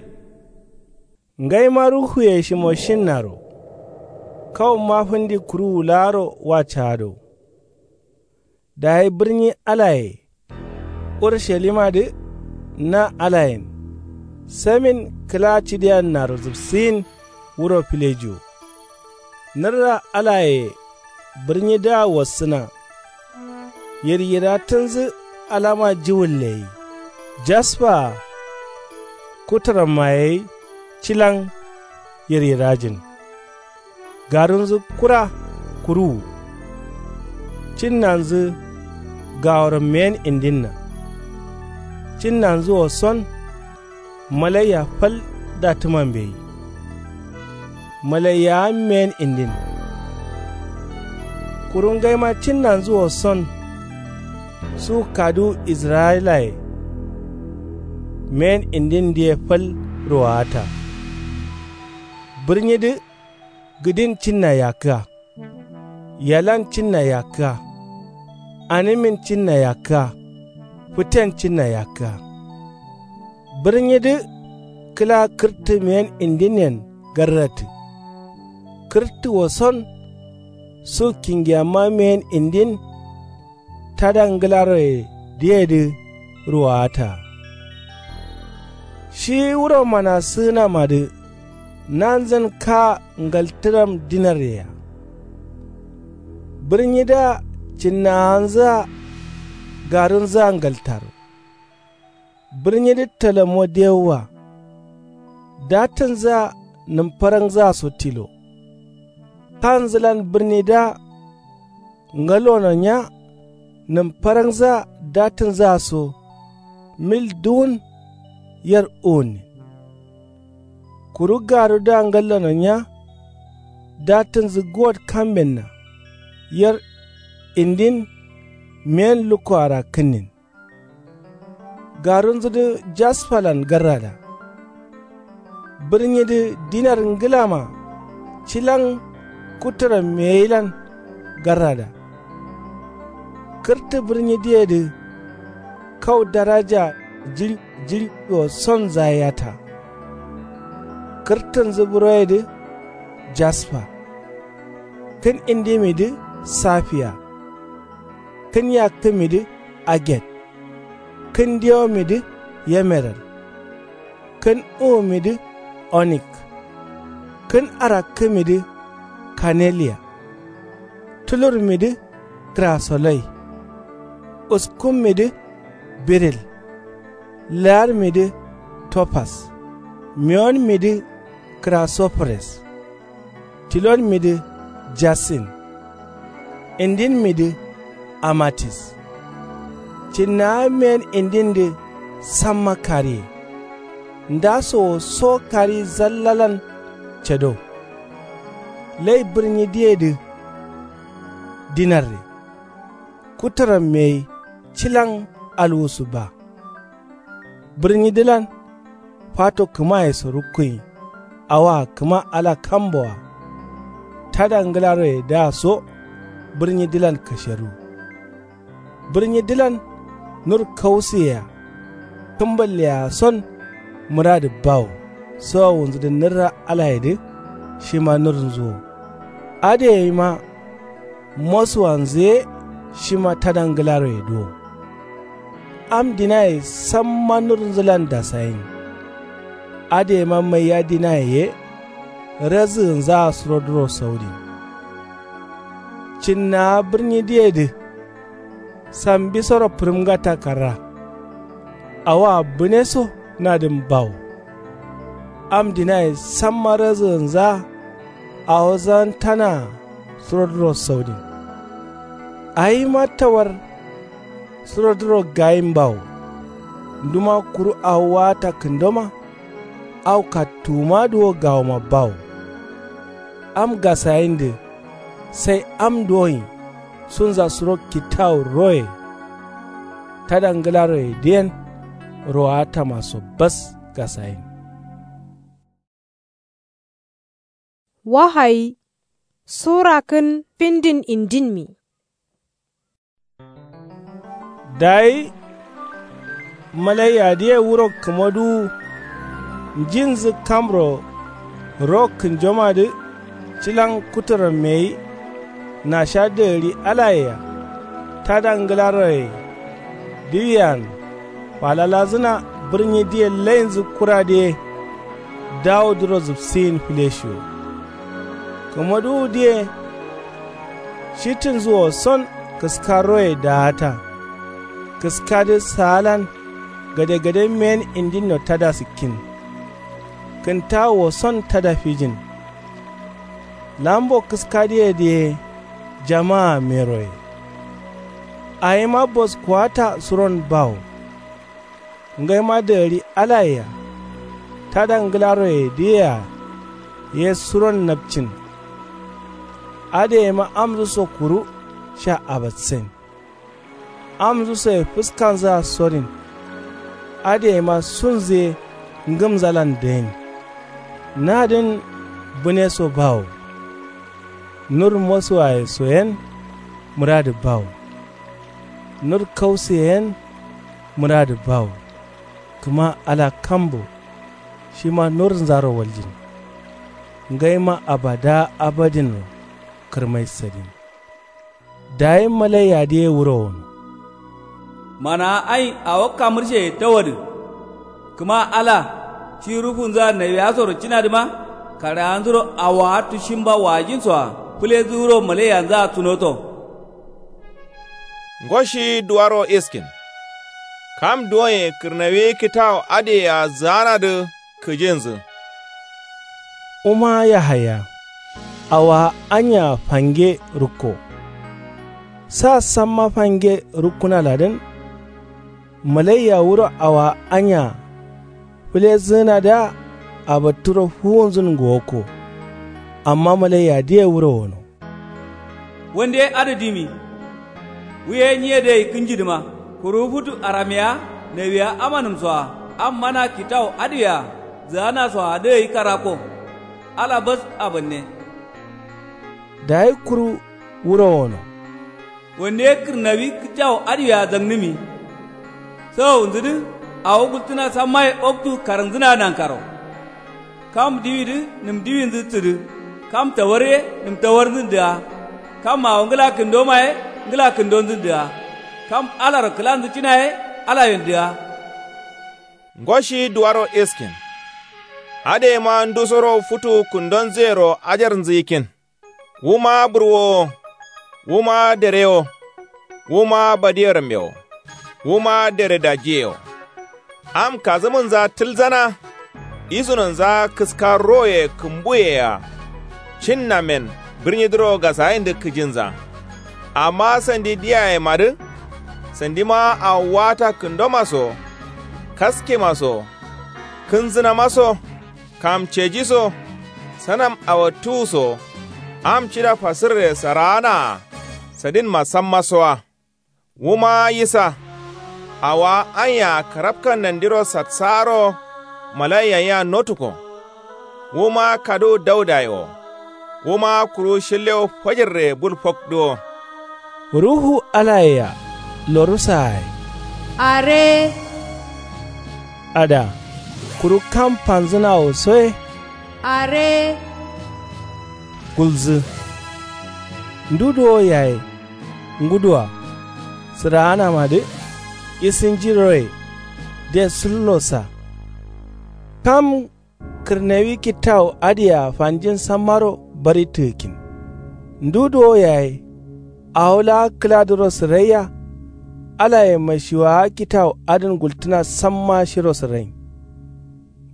Ngaima ruhuye shimo shinnaro kawumma fǝndi kuruwu laaro wa caado. Dayi bǝrnyi alaye urushalimadǝ na alayen samin kǝla cidiannaro zǝbsǝyin wuro filejiwo. Nǝrra alayeye bǝrnyidǝa wassǝna. Yiryirattǝnzǝ alama jiwǝlle gai jaspaa kutǝrammaye gai cilan yiryirajin. Garunzǝ kura kuruwu. Cinnanzǝ gaworo meyen indinna. Cinnanzǝ wo son malaiya fal dattǝmambe gai. Malaiyawa meyen indin. Kuru ngaima cinnanzǝ wo son su kaduwu israyilaye meyen indindǝye fal ruwawata. Bǝrnyidǝ gǝdin cinna yakkǝa. Yalan cinna yakkǝa. Anǝmin cinna yakkǝa. Fǝten cinna yakkǝa. Bǝrnyidǝ kǝla kǝrtǝ meyen indinen garrattǝ. Kǝrtǝ wo son su kingiyamma meyen indin tada ngǝlaroye diyedǝ ruwawata. Shi wuro manasǝgǝnamadǝ nanzǝn kaa ngaltǝram dinarreyea. Bǝrnyidǝa cinnawanzǝa garunzǝa ngaltaro. Bǝrnyidǝ talamo dewwa. Dattǝnzǝa nǝmfarangzǝaso tilo. Kanzǝlan bǝrnidǝa ngallono nya nǝmfarangzǝa dattǝnzǝa so mil duwun yer uwunnin. Kuru garudǝa ngallono nya dattǝnzǝ guwot kambenna yer indin meyen lukko arakkǝnnin. Garunzudǝ jaspalan garrada. Bǝrnyidǝ dinar ngǝlama cilan kuturamme gailan garrada. Kǝrtǝ bǝrnyidǝyedǝ kau daraja jiɍi jiɍi wo sonzaye yata. Kǝrtǝnzǝ buroyedǝ jaspa. Kǝn indimidǝ safiya. Kǝn yakkǝmidǝ aget. Kǝn dewomidǝ yemeral. Kǝn uwumidǝ onik. Kǝn arakkǝmidǝ kaneliya. Tulurmidǝ kǝrasoloi. Uskummidǝ biril. Laarmidǝ topas. Mewonmidǝ kǝrasofores. Tilonmidǝ jasin. Indinmidǝ amatis. Cinnawa meyen indindǝ samma kariye. Ndaso wo so kari zallalan cado. Lai bǝrnyidǝyedǝ dinarre. Kuturamme gai cilan alwusu ba. Bǝrnyidǝlan fato kǝmayeso rukkuyin. Awoa kǝma ala kamboa. Tada ngǝlaroyedǝa so bǝrnyidǝlan kasheru. Bǝrnyidǝlan nur kausǝyea. Kǝmballeyea son mǝradǝ bawo. Sowowunzudǝ nǝrra alayedǝ shima nurnzu wo. Adǝ gaima mosuwanzu ye shima tada nglaroye duwo. Am dinaye samma nurnzulan dasayin. Adǝyema maiya dinaye ye razǝgǝnzaa surodǝro saudin. Cǝnnawa bǝrnyi diyedǝ sambisoro fǝrǝmgata karra. Awoa bǝneso nadǝn bawo. Am dinaye samma razǝgǝnzaa awo zantanaa surodǝro saudin. Awima tawar surodǝro gayin bawo. Nduma kuru awo waata kǝndoma au kattuwumadǝ wo gawoma bawo. Am gasayindǝ sai am duwoin sunza suro kitawu roye. Tada nglaroyedǝyen rowaatamaso bas gasayin. Wahayi sura kǝn findin indinmi. Dayi malaiyadǝye wuro kǝmaduwu njinzǝ kamro ro kǝnjomadǝ cilan kuturammeyi nasha dǝgǝri alayea tada nglaroye diwiyen falalazǝna bǝrnyi diye lainzǝ kuradǝ ye. Dawuduro zǝfsiyin fǝleshiwo. Kǝmaduwudǝ ye shitǝnzǝ woson kǝska roye daata. Kǝskadǝ saalan gadegade meyen indinno tada sǝkkin. Kǝntawu woson tada fijin. Lambo kǝskadǝyedǝ ye jamaa meroye. Awima boskuwata suron bawo. Ngaima dagari alayea tada nglaroyedǝyea ye suron napcin. Adǝyeima amzǝso kuru sha abatsen. Amzǝsoye fǝskanzǝa sorin. Adǝyeima sunzǝ ye ngǝmzalan dayin. Nadǝn bǝneso bawo. Nur mosuwayeso yen mǝradǝ bawo. Nur kausuye yen mǝradǝ bawo. Kǝma ala kambo shima nurnzaro waljin. Ngaima abada abadinro kǝrmai sadin. Dayi malaiyadǝ ye wuro wono. Manawa ain awo kamǝrsheye tawadǝ. Kǝma ala shi rufunzǝa nawiyasoro cinadǝma karaganzuro awowa tushimba wajinsoa fǝlezǝ wuro malaiyanzǝa sunoto. Ngo shi duwaro iskin. Kam duwonye kǝrnawi kitawu adǝyea zǝganadǝ kǝjinzǝ. Wuma yahaya awowa anyea fange rukko. Sa samma fange rukkunaladǝn. Malaiya wuro awowa anyea fǝlezǝgǝnadǝa abatturo fuwunzǝn ngowokko. Amma malaiyadǝye wuro wono. Wande ye adǝ dimi. Wu ye nyiye dǝ gai kǝnjidǝma. Kuru futu aramyeya nawiya amanǝmsoa am mana kitawu adǝwea zǝganasoa dǝ gai karakko. Ala bas abanne. Dayi kuru wuro wono. Wande ye kǝrnawi kǝcawu adǝwea zangnǝmi. Sawonzǝdǝ awo gultǝna sammaye oktu karangzǝna nankaro. Kam diwidǝ nǝm diwinzǝ sǝdǝ. Kam tawar ye nǝm tawarnzǝn dǝga. Kam awo ngǝla kǝndoma ye ngǝla kǝndonzǝn dǝga. Kam alaro kǝlanzǝ cina ye alayen dǝga. Ngo shi duwaro iskin. Adǝyeima ndusoro futu kǝndonzǝyero ajarnzǝ yikkin. Wuma burwowo. Wuma derewo. Wuma badiyerammewo. Wuma deredajiyewo. Am kazǝmǝnza tǝlzana. Isunonza kǝska roye kǝmbuyea. Cinnamen bǝrnyidǝro gasayindǝ kǝjinza. Amma sandi diyayemadǝ. Sandima awo wata kǝndomaso. Kaskemaso. Kǝnzǝnamaso. Kamcejiso. Sanam awattuwuso. Am cida fasǝrre saraanaa. Sadinma sammasoa. Wuma yisa. Awowa anyea karabka nandiro satsaaro. Malaiya yea notuko. Wuma kaduwu daudaye wo. Wuma kuru shillewo fajirre bul fokduwo. Ruhu alayea lorusaye. Are. Ada. Kuru kam fanzǝnawo soye. Are. Gulzǝ. Ndu duwo yaye nguduwa sǝraanamadǝ isǝnjiroye de sǝllosa. Kam kǝrnewi kittawu adǝyea fanjin sammaro bari tǝgǝkkin. Ndu duwo yaye awo laa kǝladǝro sǝraiya. Alaye mashiwaa kittawu adǝn gultǝna samma shiro sǝrain.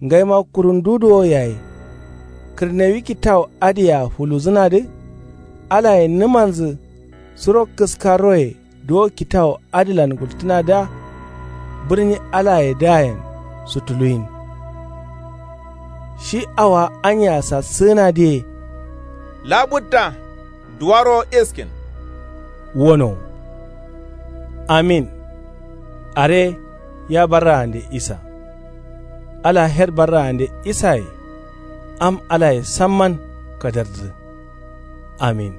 Ngaima kuru ndu duwo yaye kǝrnewi kittawu adǝyea fuluzǝnadǝ. Alaye nǝmanzǝ suro kǝskaroye duwo kittawu adǝlan gultǝnadǝa bǝrni alayedǝayen sutuluyin. Shi awowa anya sassǝgǝnadǝye. Labutta duwaro iskin. Wonowo amin. Are ya barraande isa. Ala her barraande isaye. Am alaye samman kadardǝ. Amin.